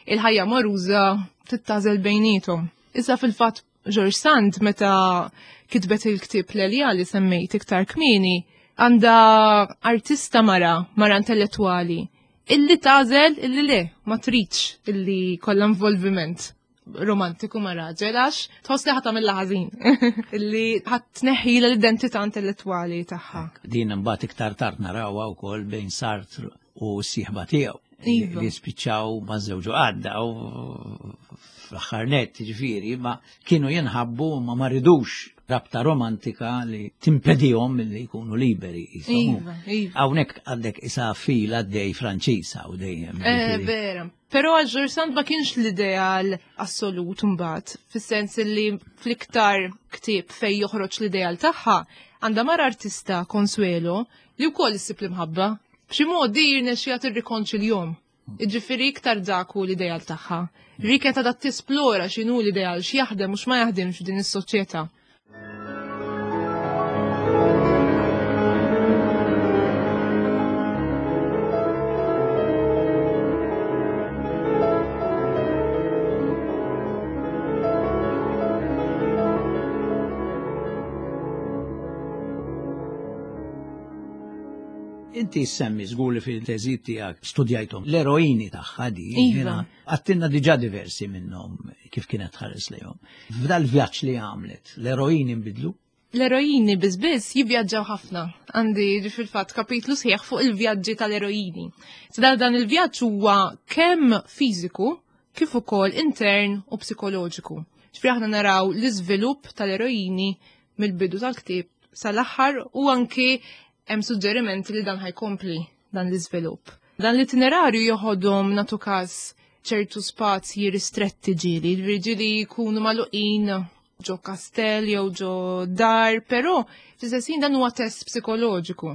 il-ħajja amoruża, tittażel bejnietom. Issa fil-fatt George Sand meta kitbet il-ktieb Lelia li semmejt iktar kmieni, għandha artista mara, mara intellettuali, illi tażel illi le, ma tridx illi kollha involviment romantiku ma' raġel għax tħoss li ħa tagħmilha ħażin. Illi ħa tneħħilha l-identità intellettuali tagħha. Din imbagħad iktar tard narawha wkoll bejn Sartre u s-sieħba tiegħu. Iva. Li spiċċaw ma żewġu għadda u fl-aħħar nett, ġifieri, ma kienu jinħabbu ma ma ridux rabta romantika li timpedihom milli jkunu liberi. Iva, iva. Hawnhekk għandek isa fil għaddej Franċiża u dejjem. Eh, ġifieri. Vera. Però għal George Sand ma kienx l-ideal assolut mbagħad, fis-sens li fl-iktar ktieb fej joħroġ l-ideal tagħha, għandha mara artista Consuelo li wkoll issib l-imħabba. B'xi mod di jirnexxiha tirrikonċiljahom. Jiġifieri iktar dak hu l-ideal tagħha. Rika ta' dat tisplora x'inhu l-ideal, x'jaħdem u x'ma jaħdimx f'din is-soċjetà. Inti semmi żgur li fil-teżi tiegħek studjajthom l-eroini tagħha di, Iva. jiena għattilna diġà diversi minnhom kif kienet tħares lejhom. F'dal vjaġġ li għamlet, l-eroini nbidlu? L-eroini biss jivvjaġġaw ħafna. Għandi fil-fatt kapitlu sħiħ fuq il-vjaġġi tal-eroini. Dal dan il-vjaġġ huwa kemm fiżiku kif ukoll intern u psikoloġiku. Ġifieri aħna naraw l-iżvilupp tal-eroini mill-bidu tal-ktieb sal-aħħar u anki hemm suġġerimenti li dan ħajkompli dan l-iżvilupp. Dan l-itinerarju joħodhom natu każ ċertu spazji ristretti ġieli, ġieli jkunu magħluqin ġo kastell jew ġo dar, però fl-istess ħin dan huwa test psikoloġiku.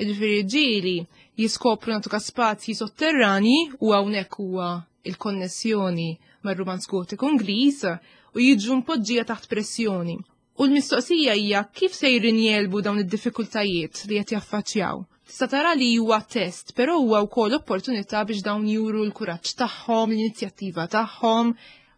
Jiġifieri ġieli jiskopru natu każ spazji sotterrani u hawnhekk huwa il-konnessjoni mar-rumanz gotiku Ingliż u jiġu mpoġġija taħt pressjoni. U l-mistoqsija hija kif sejrin jegħlbu dawn id-diffikultajiet li qed jaffaċċjaw. Tista' tara li huwa test, però huwa wkoll opportunità biex dawn juru l-kuraġġ tagħhom, l-inizjattiva tagħhom.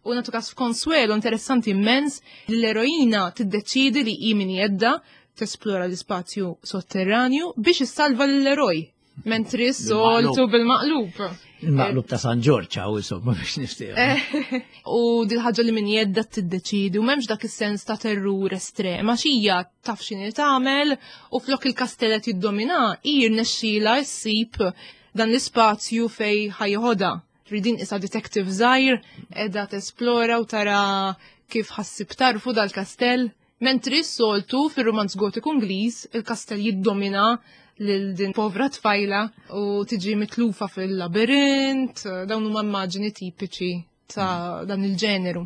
U natu każ f'Consuelo interessanti immens li l-eroina tiddeċidi li hi min jedda tesplora l-ispazju sotterranju biex issalva l-eroj. Mentri s-soltu bil-maqlub. Il-maqlub ta' San Ġorġ, għaw insomma biex niftehmu. Eh, u dil ħaġa li min jedda tiddeċidi u m'hemmx dak is-sens ta' terrur estrem, għax hija taf x'inhi tagħmel u flok il-kastellet jiddomina, hi rnexxielha ssib dan l-ispazju fej ħajħodha. Ridin isa detective żgħir, qiegħda tesplora u tara kif ħassib tarfu dal-kastell. Mentri s-soltu fir-romanz gotiku Ingliż, il-kastell jiddomina lil din povra tfajla u tiġi mitlufa fil-labirint, dawn huma immaġini tipiċi ta' dan il-ġeneru.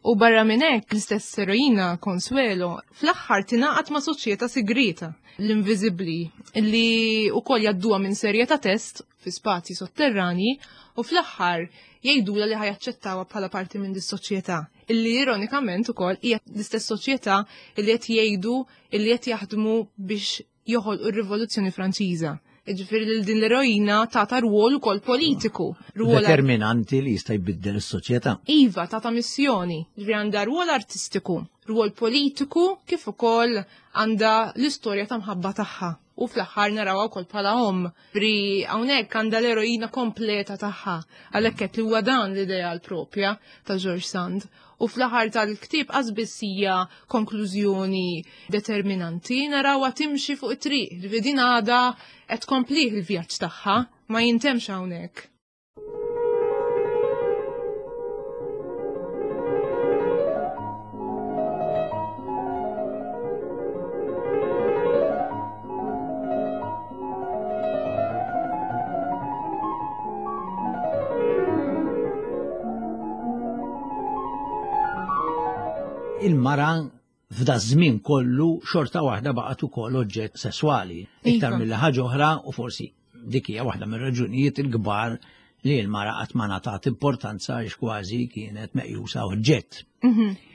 U barra minn hekk l-istess eroina Consuelo fl-aħħar tingħaqad ma' soċjetà segreta, l-Inviżibbli, li wkoll jgħadduha minn serje ta' test fi spazji sotterrani u fl-aħħar jgħidulha li ħajaċċettawha bħala parti minn dis-soċjetà. Illi ironikament ukoll hija l-istess soċjetà illi qed jgħidu illi qed jaħdmu biex joħolqu r-Rivoluzzjoni Franċiża. Ġifieri lil din l-eroina tata rwol ukoll politiku. Rwol determinanti li jista' jbiddel is-soċjetà. Iva, tata missjoni. Ġifieri għandha rwol artistiku, rwol politiku kif ukoll għandha l-istorja ta' mħabba tagħha. U fl-aħħar narawha wkoll bħala omm. Ġifieri hawnhekk għandha l-eroina kompleta tagħha. Għalhekk qed li huwa dan l-ideal propja ta' George Sand. U fl-aħħar tal-ktieb qas hija konklużjoni determinanti, narawha timxi fuq it-triq, ġifieri din għadha qed tkomplih il-vjaġġ tagħha, ma jintemx hawnhekk. Il-mara f'da żmien kollu xorta waħda baqgħet ukoll oġġett sesswali. Iktar mill ħaġa oħra u forsi dik hija waħda mir-raġunijiet il-kbar li l-mara qatt ma ngħatat importanza għax kważi kienet meqjusa oġġett.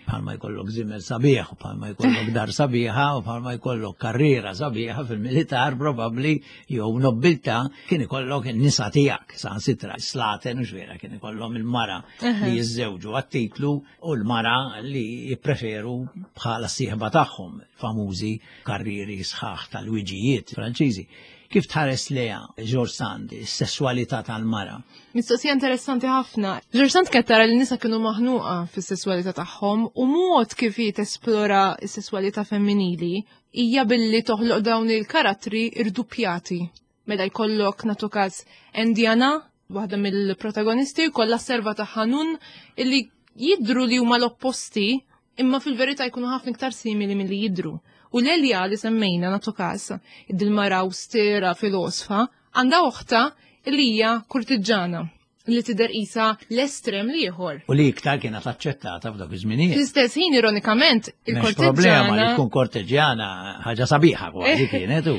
Bħalma jkollok żiemel sabiħ, u bħalma jkollok dar sabiħa, u bħalma jkollok karriera sabiħa fil-militar probabbli jew nobbiltà, kien ikollok in-nisa tiegħek, saħansitra slaten u x'vera kien ikollhom il-mara li jiżżewġu għat-titlu u l-mara li jippreferu bħala s-sieħba tagħhom, famużi karrieri sħaħ tal-wiġijiet Franċiżi. Kif tħares leha George Sand, is-sesswalità tal-mara? Mistoqsija interessanti ħafna. George Sand kienet tara li n-nisa kienu maħnuqa fis-sesswalità tagħhom u mod kif hi tesplora s-sesswalità femminili hija billi toħloq dawn il-karattri irdupjati. Mela jkollok nagħtu każ Indiana, waħda mill-protagonisti, jkollha serva ta' Hanun illi jidru li huma l-opposti imma fil-verità jkunu ħafna iktar simili milli jidru. U Lelia li semmejna nagħtu każ, id-mara austera filosfa, għandha oħta li hija kurtiġġana li tidher qisha l-estrem l-ieħor. U li iktar kienet aċċettata f'dak iż-żminijiet. Fl-istess ħin ironikament il-korteġġjana. Problema li tkun korteġġjana ħaġa sabiħa kważi kienet u.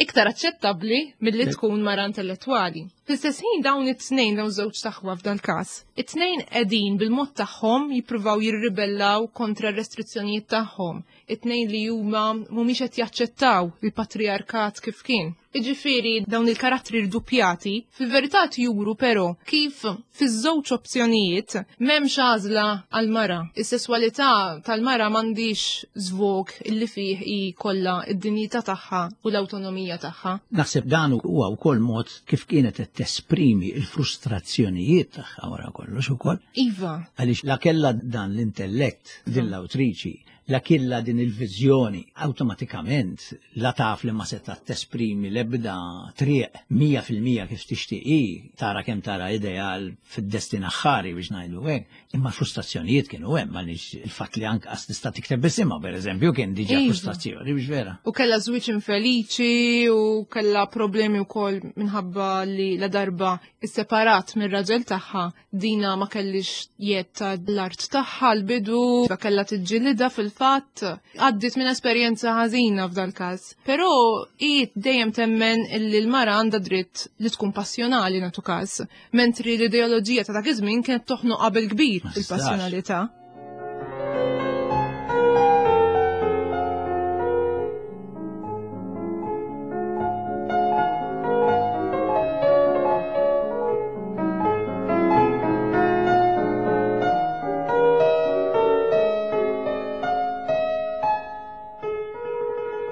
Iktar aċċettabbli milli tkun mara intellettwali. Fl-istess ħin dawn it-tnejn dawn żewġ taħwa f'dan każ, it-tnejn qegħdin bil-mod tagħhom jippruvaw jirribellaw kontra r-restrizzjonijiet tagħhom. It-tnejn li huma mhumiex qed jaċċettaw il-patriarkat kif kien. Jiġifieri dawn il-karattri rdupjati fil-verità juru però kif fiż-żewġ opzjonijiet m'hemmx għażla għall-mara. Is-sesswalità tal-mara m'għandix żvog illi fih hi kollha id-dinjità tagħha u l-awtonomija tagħha. Naħseb dan huwa wkoll mod kif kienet qed tesprimi l-frustrazzjonijiet tagħha wara kollox ukoll. Iva. Għaliex la kellha dan l-intellett din l-awtriċi, la kella din il-viżjoni, awtomatikament la taf li ma seta tesprimi l-ebda triq mija fil-mija kif tixtieqi, tara kemm tara ideal fid-destin aħħari biex ngħidu hekk, imma frustrazzjonijiet kienu hemm għaliex il-fatt li anqas tista' tikteb bisimha pereżempju kien diġà frustrazzjoni biex vera. U kellha żwieġ infeliċi u kellha problemi wkoll minħabba li la darba isseparat mir-raġel tagħha dina ma kellix jett l-art tagħha l-bidu, kellha tiġġilidha fil fatt għaddit minn esperjenza ħażina f'dal każ. Però hi dejjem temmen illi l-mara għandha dritt li tkun passjonali nagħtu każ, mentri l-ideoloġija ta' dak iż-żmien kienet toħnoq qabel kbir il-passjonalità.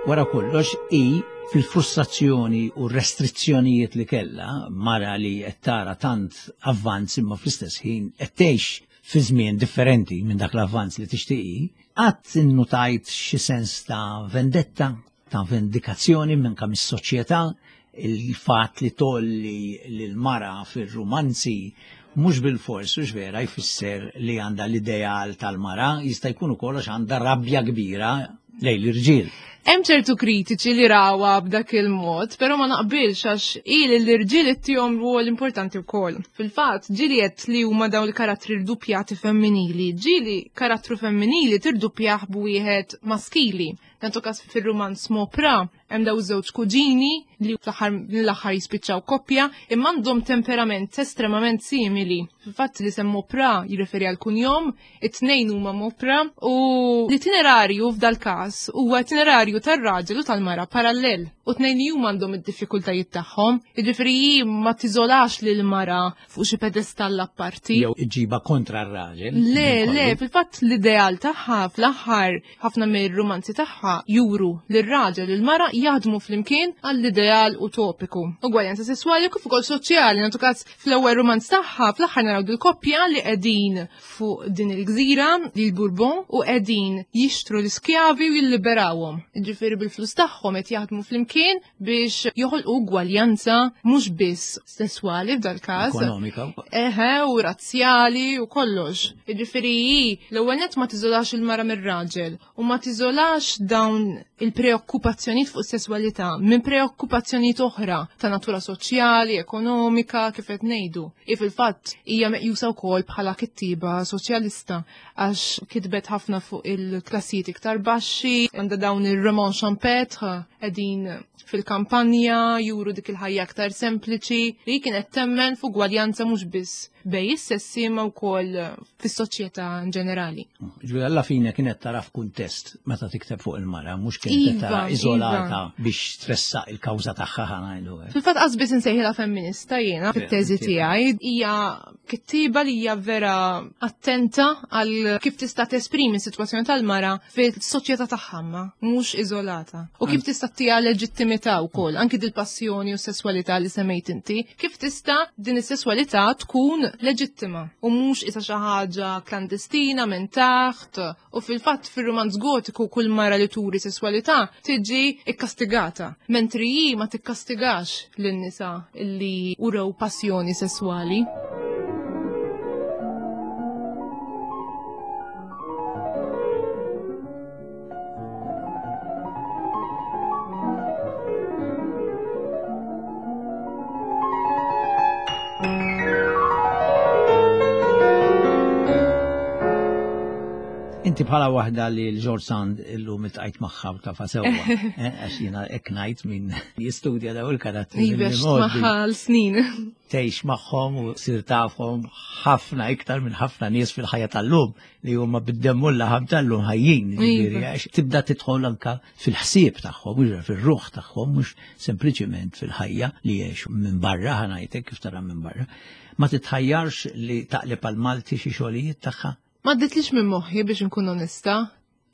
Wara kollox i fil-frustrazzjoni u restrizzjonijiet li kellha mara li qed tara tant avvanz imma fl-istess ħin qed tgħix fi żmien differenti minn dak l-avvanz li tixtieqi, qatt innutajt xi sens ta' vendetta, ta' vendikazzjoni minn kemm is-soċjetà, il-fatt li tolli lil mara fir-rumanzi mhux bil-fors u vera jfisser li għandha l-ideal tal-mara, jista' jkun ukoll għax għandha rabja kbira lejn l-irġiel. Hemm ċertu kritiċi li rawha b'dak il-mod, però ma naqbilx għax il l-irġiel ittihom rwol importanti wkoll. Fil-fatt, ġieli qed li huma dawn il-karattri rduppjati femminili, ġieli karattru femminili tirduppjah b'wieħed maskili. Nagħtu każ fir-rumanz Mopra, Hemm daw żewġ kuġini li fl-aħħar mill-aħħar jispiċċaw koppja imma għandhom temperament estremament simili. Fil-fatt li sem Mauprat jirreferi għal kunjom, it-tnejn huma Mauprat u l-itinerarju f'dal każ huwa itinerarju tar-raġel u tal-mara parallel. U tnejn li huma għandhom id-diffikultajiet tagħhom, jiġifieri hi ma tiżolax lil mara fuq xi pedestall apparti. Jew iġiba kontra r-raġel. Le, le, fil-fatt l-ideal tagħha fl-aħħar ħafna mir-rumanzi tagħha juru li r-raġel u l-mara jaħdmu flimkien għall-ideal utopiku. Ugwaljanza sesswali kif ukoll soċjali, nagħtu każ fl-ewwel rumanz tagħha fl-aħħar naraw dil-koppja li qegħdin fuq din il-gżira li l-Bourbon u qegħdin jixtru l-iskjavi u jilliberawhom. Jiġifieri bil-flus tagħhom qed jaħdmu flimkien biex joħolqu ugwaljanza mhux biss sesswali f'dal-każ. Ekonomika. Eħe, u razzjali u kollox. Jiġifieri hi l-ewwel nett ma tiżolax il-mara mir-raġel u ma tiżolax dawn il-preokkupazzjonijiet fuq sesswalità minn preokkupazzjonijiet oħra ta' natura soċjali, ekonomika, kif qed ngħidu. I fil-fatt hija meqjusa wkoll bħala kittiba soċjalista għax kitbet ħafna fuq il-klassijiet iktar baxxi, għandha dawn ir-romans champêtre qegħdin fil-kampanja, juru dik il-ħajja aktar sempliċi li kienet temmen fuq gwaljanza mhux biss bej is-sessi ma wkoll fis-soċjetà in ġenerali. Ġifieri alla fine kienet tara f'kuntest meta tikteb fuq il-mara, mhux kienet Iva, tara iżolata iva. biex tressaq il-kawża tagħha ħa ngħidu hekk. Fil-fatt qas biss insejħilha femminista jiena fit-teżi inti. tiegħi hija kittiba li hija vera attenta għal kif tista' tesprimi s-sitwazzjoni tal-mara fis-soċjetà tagħha ma, mhux iżolata. U kif tista' ttiha leġittimità wkoll, anki dil-passjoni u s-sesswalità li semmejt inti, kif tista' din is-sesswalità tkun leġittima u mhux isa xi ħaġa klandestina minn taħt. U fil-fatt fir-romanz gotiku kull mara li turi sesswalità tiġi ikkastigata, mentri hi ma tikkastigax lin-nisa li urew passjoni sesswali. Inti bħala waħda li l-George Sand illum iltqajt magħha u tafha sewwa, eh, għax jiena hekk ngħid min jistudja daw il-karattri Iva, mill-modi. magħha l-snin. Tgħix magħhom u sir tafhom ħafna iktar minn ħafna nies fil-ħajja tal-lum li huma bid-demm u l-laħam tal-lum ħajjin, jiġifieri, Iva. għax tibda tidħol anka fil-ħsieb tagħhom, mhux fir-ruħ tagħhom, mhux sempliċiment fil-ħajja li jgħixu minn barra, ħa ngħidlek kif tara minn barra. Ma titħajjarx li taqleb għal Malti xi xogħlijiet tagħha? Ma għadditlix minn moħħi biex nkun onesta.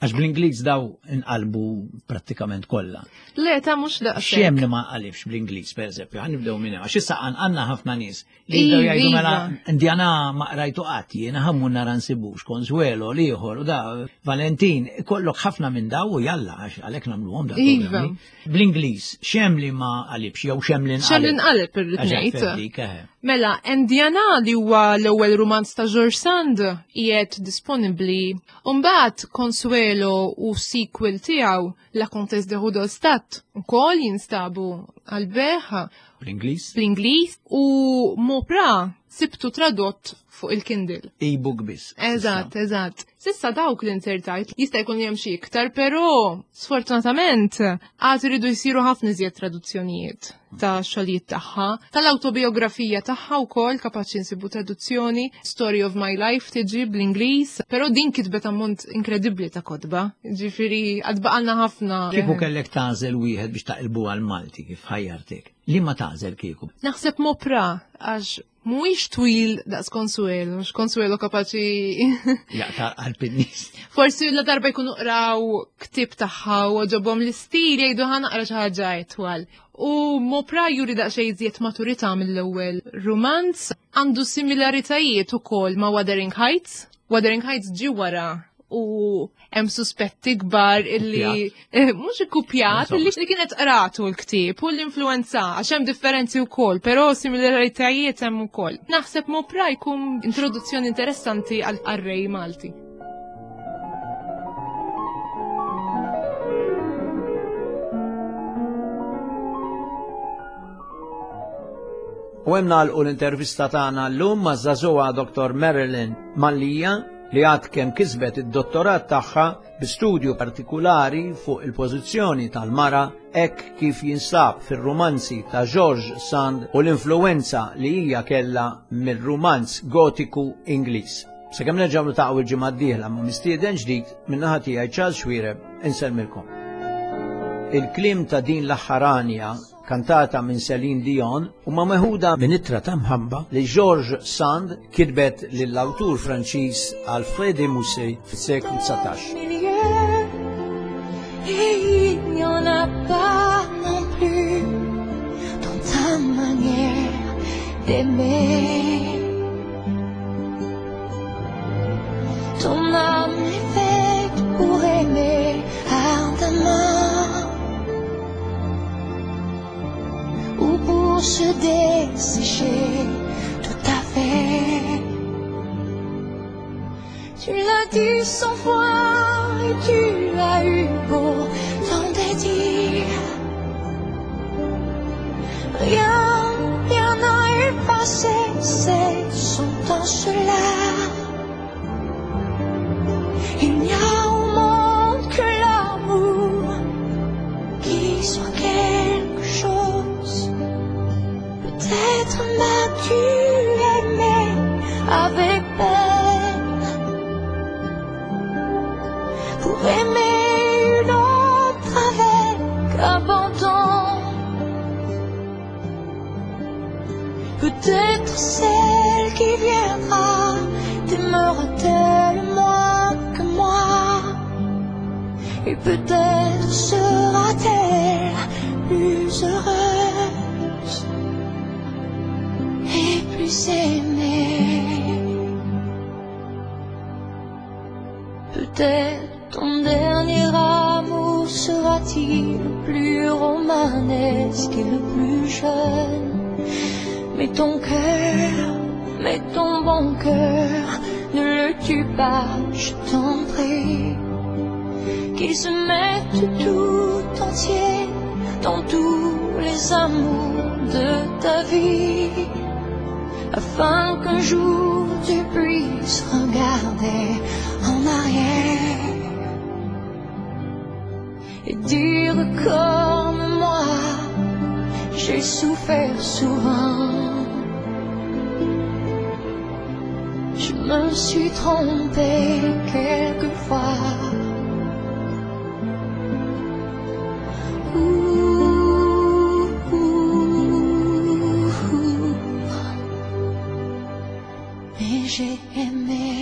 Għax bl-Ingliż daw inqalbu prattikament kollha. Le, ta' mhux daqshekk. X'hemm li ma qalibx bl-Ingliż, pereżempju, ħa nibdew minn hemm, għax issa għandna ħafna nies li jibdew Iva, jgħidu mela iva. Indiana ma qrajtu qatt, jiena ħammu nara nsibux, Consuelo l-ieħor u da Valentin, kollok ħafna minn daw u jalla għax għalhekk nagħmluhom da Iva. programmi. Bl-Ingliż, x'hemm li ma qalibx jew x'hemm li X'hemm li nqaleb? nqaleb irrid Għax ngħid. dik, eħe. Mela, Indiana li huwa l-ewwel rumanz ta' George Sand qiegħed disponibbli. Umbagħad Consuelo u sequel tiegħu La Comtesse de Rudolstadt ukoll jinstabu għal-bejgħ Bl-Ingliż? bl-Ingliż u Mauprat sibtu tradott fuq il-Kindle. E-book biss. Eżatt, eżatt. Sissa dawk li insertajt jista' jkun hemm xi iktar, però sfortunatament għad iridu jsiru ħafna iżjed traduzzjonijiet ta' xogħlijiet tagħha, tal-awtobiografija tagħha wkoll kapaċi nsibu traduzzjoni, Story of My Life tiġi bl-Ingliż, però din kitbet ammont inkredibbli ta' kotba. Ġifieri għad baqalna ħafna. Kieku kellek tagħżel wieħed biex taqilbu għal Malti kif ħajjartek. Li ma tagħżel kieku? Naħseb Mauprat għax mhuwiex twil daqs Consuelo, mhux Consuelo kapaċi Jaqta' qalb in-nies. Forsi la darba jkunu qraw ktieb tagħha u għoġobhom l-istil jgħidu ħa naqra xi ħaġa itwal. U Mauprat juri daqsxejn iżjed maturità mill-ewwel rumanz, għandu similaritajiet ukoll ma' Wuthering Heights. Wuthering Heights ġi wara u hemm suspetti kbar illi eh, mhux ikkupjat Insomma. illi li kienet qratu l-ktieb u l-influenza għax hemm differenzi wkoll, però similaritajiet hemm ukoll. Naħseb Mauprat jkun introduzzjoni interessanti għal qarrej Malti. U hemm nagħlqu l-intervista tagħna llum ma' żagħżugħa Doktor Marilyn Mallia li għad kemm kisbet id-dottorat tagħha bi studju partikulari fuq il-pożizzjoni tal-mara hekk kif jinsab fir-rumanzi ta' George Sand u l-influenza li hija kellha mir-rumanz gotiku Ingliż. Sakemm nerġgħu niltaqgħu il-ġimgħa d-dieħla ma' mistieden ġdid min-naħa tiegħi Charles Xuereb insellmilkom. Il-kliem ta' din l-aħħar għanja kantata minn Celine Dion huma meħuda minn ittra ta' mħabba li George Sand kitbet lill-awtur Franċiż Alfred de Musset fis-seklu dsatax. Et il n'y en a pas non plus dans ta manière d'aimer. Ton âme est faite pour aimer ardemment ou pour se dessécher tout à fait. Tu l'as dit cent fois et tu as eu beau t'en dédire. Rien, rien n'a effacé cette sentence-là. Il n'y a au monde que l'amour qui soit quelque chose. Peut-être m'as-tu aimé avec peine pour aimer une autre avec abandon. Peut-être celle qui viendra t'aimera-t-elle moins que moi, et peut-être sera-t-elle plus heureuse et plus aimée. Peut-être ton dernier amour sera-t-il le plus romanesque et le plus jeune, mais ton cœur, mais ton bon cœur, ne le tue pas, je t'en prie. Qu'il se mette tout entier dans tous les amours de ta vie, afin qu'un jour tu puisses regarder en arrière et dire comme moi, j'ai souffert souvent. Je me suis trompée quelquefois. Ouh, ouh, ouh. Mais j'ai aimé.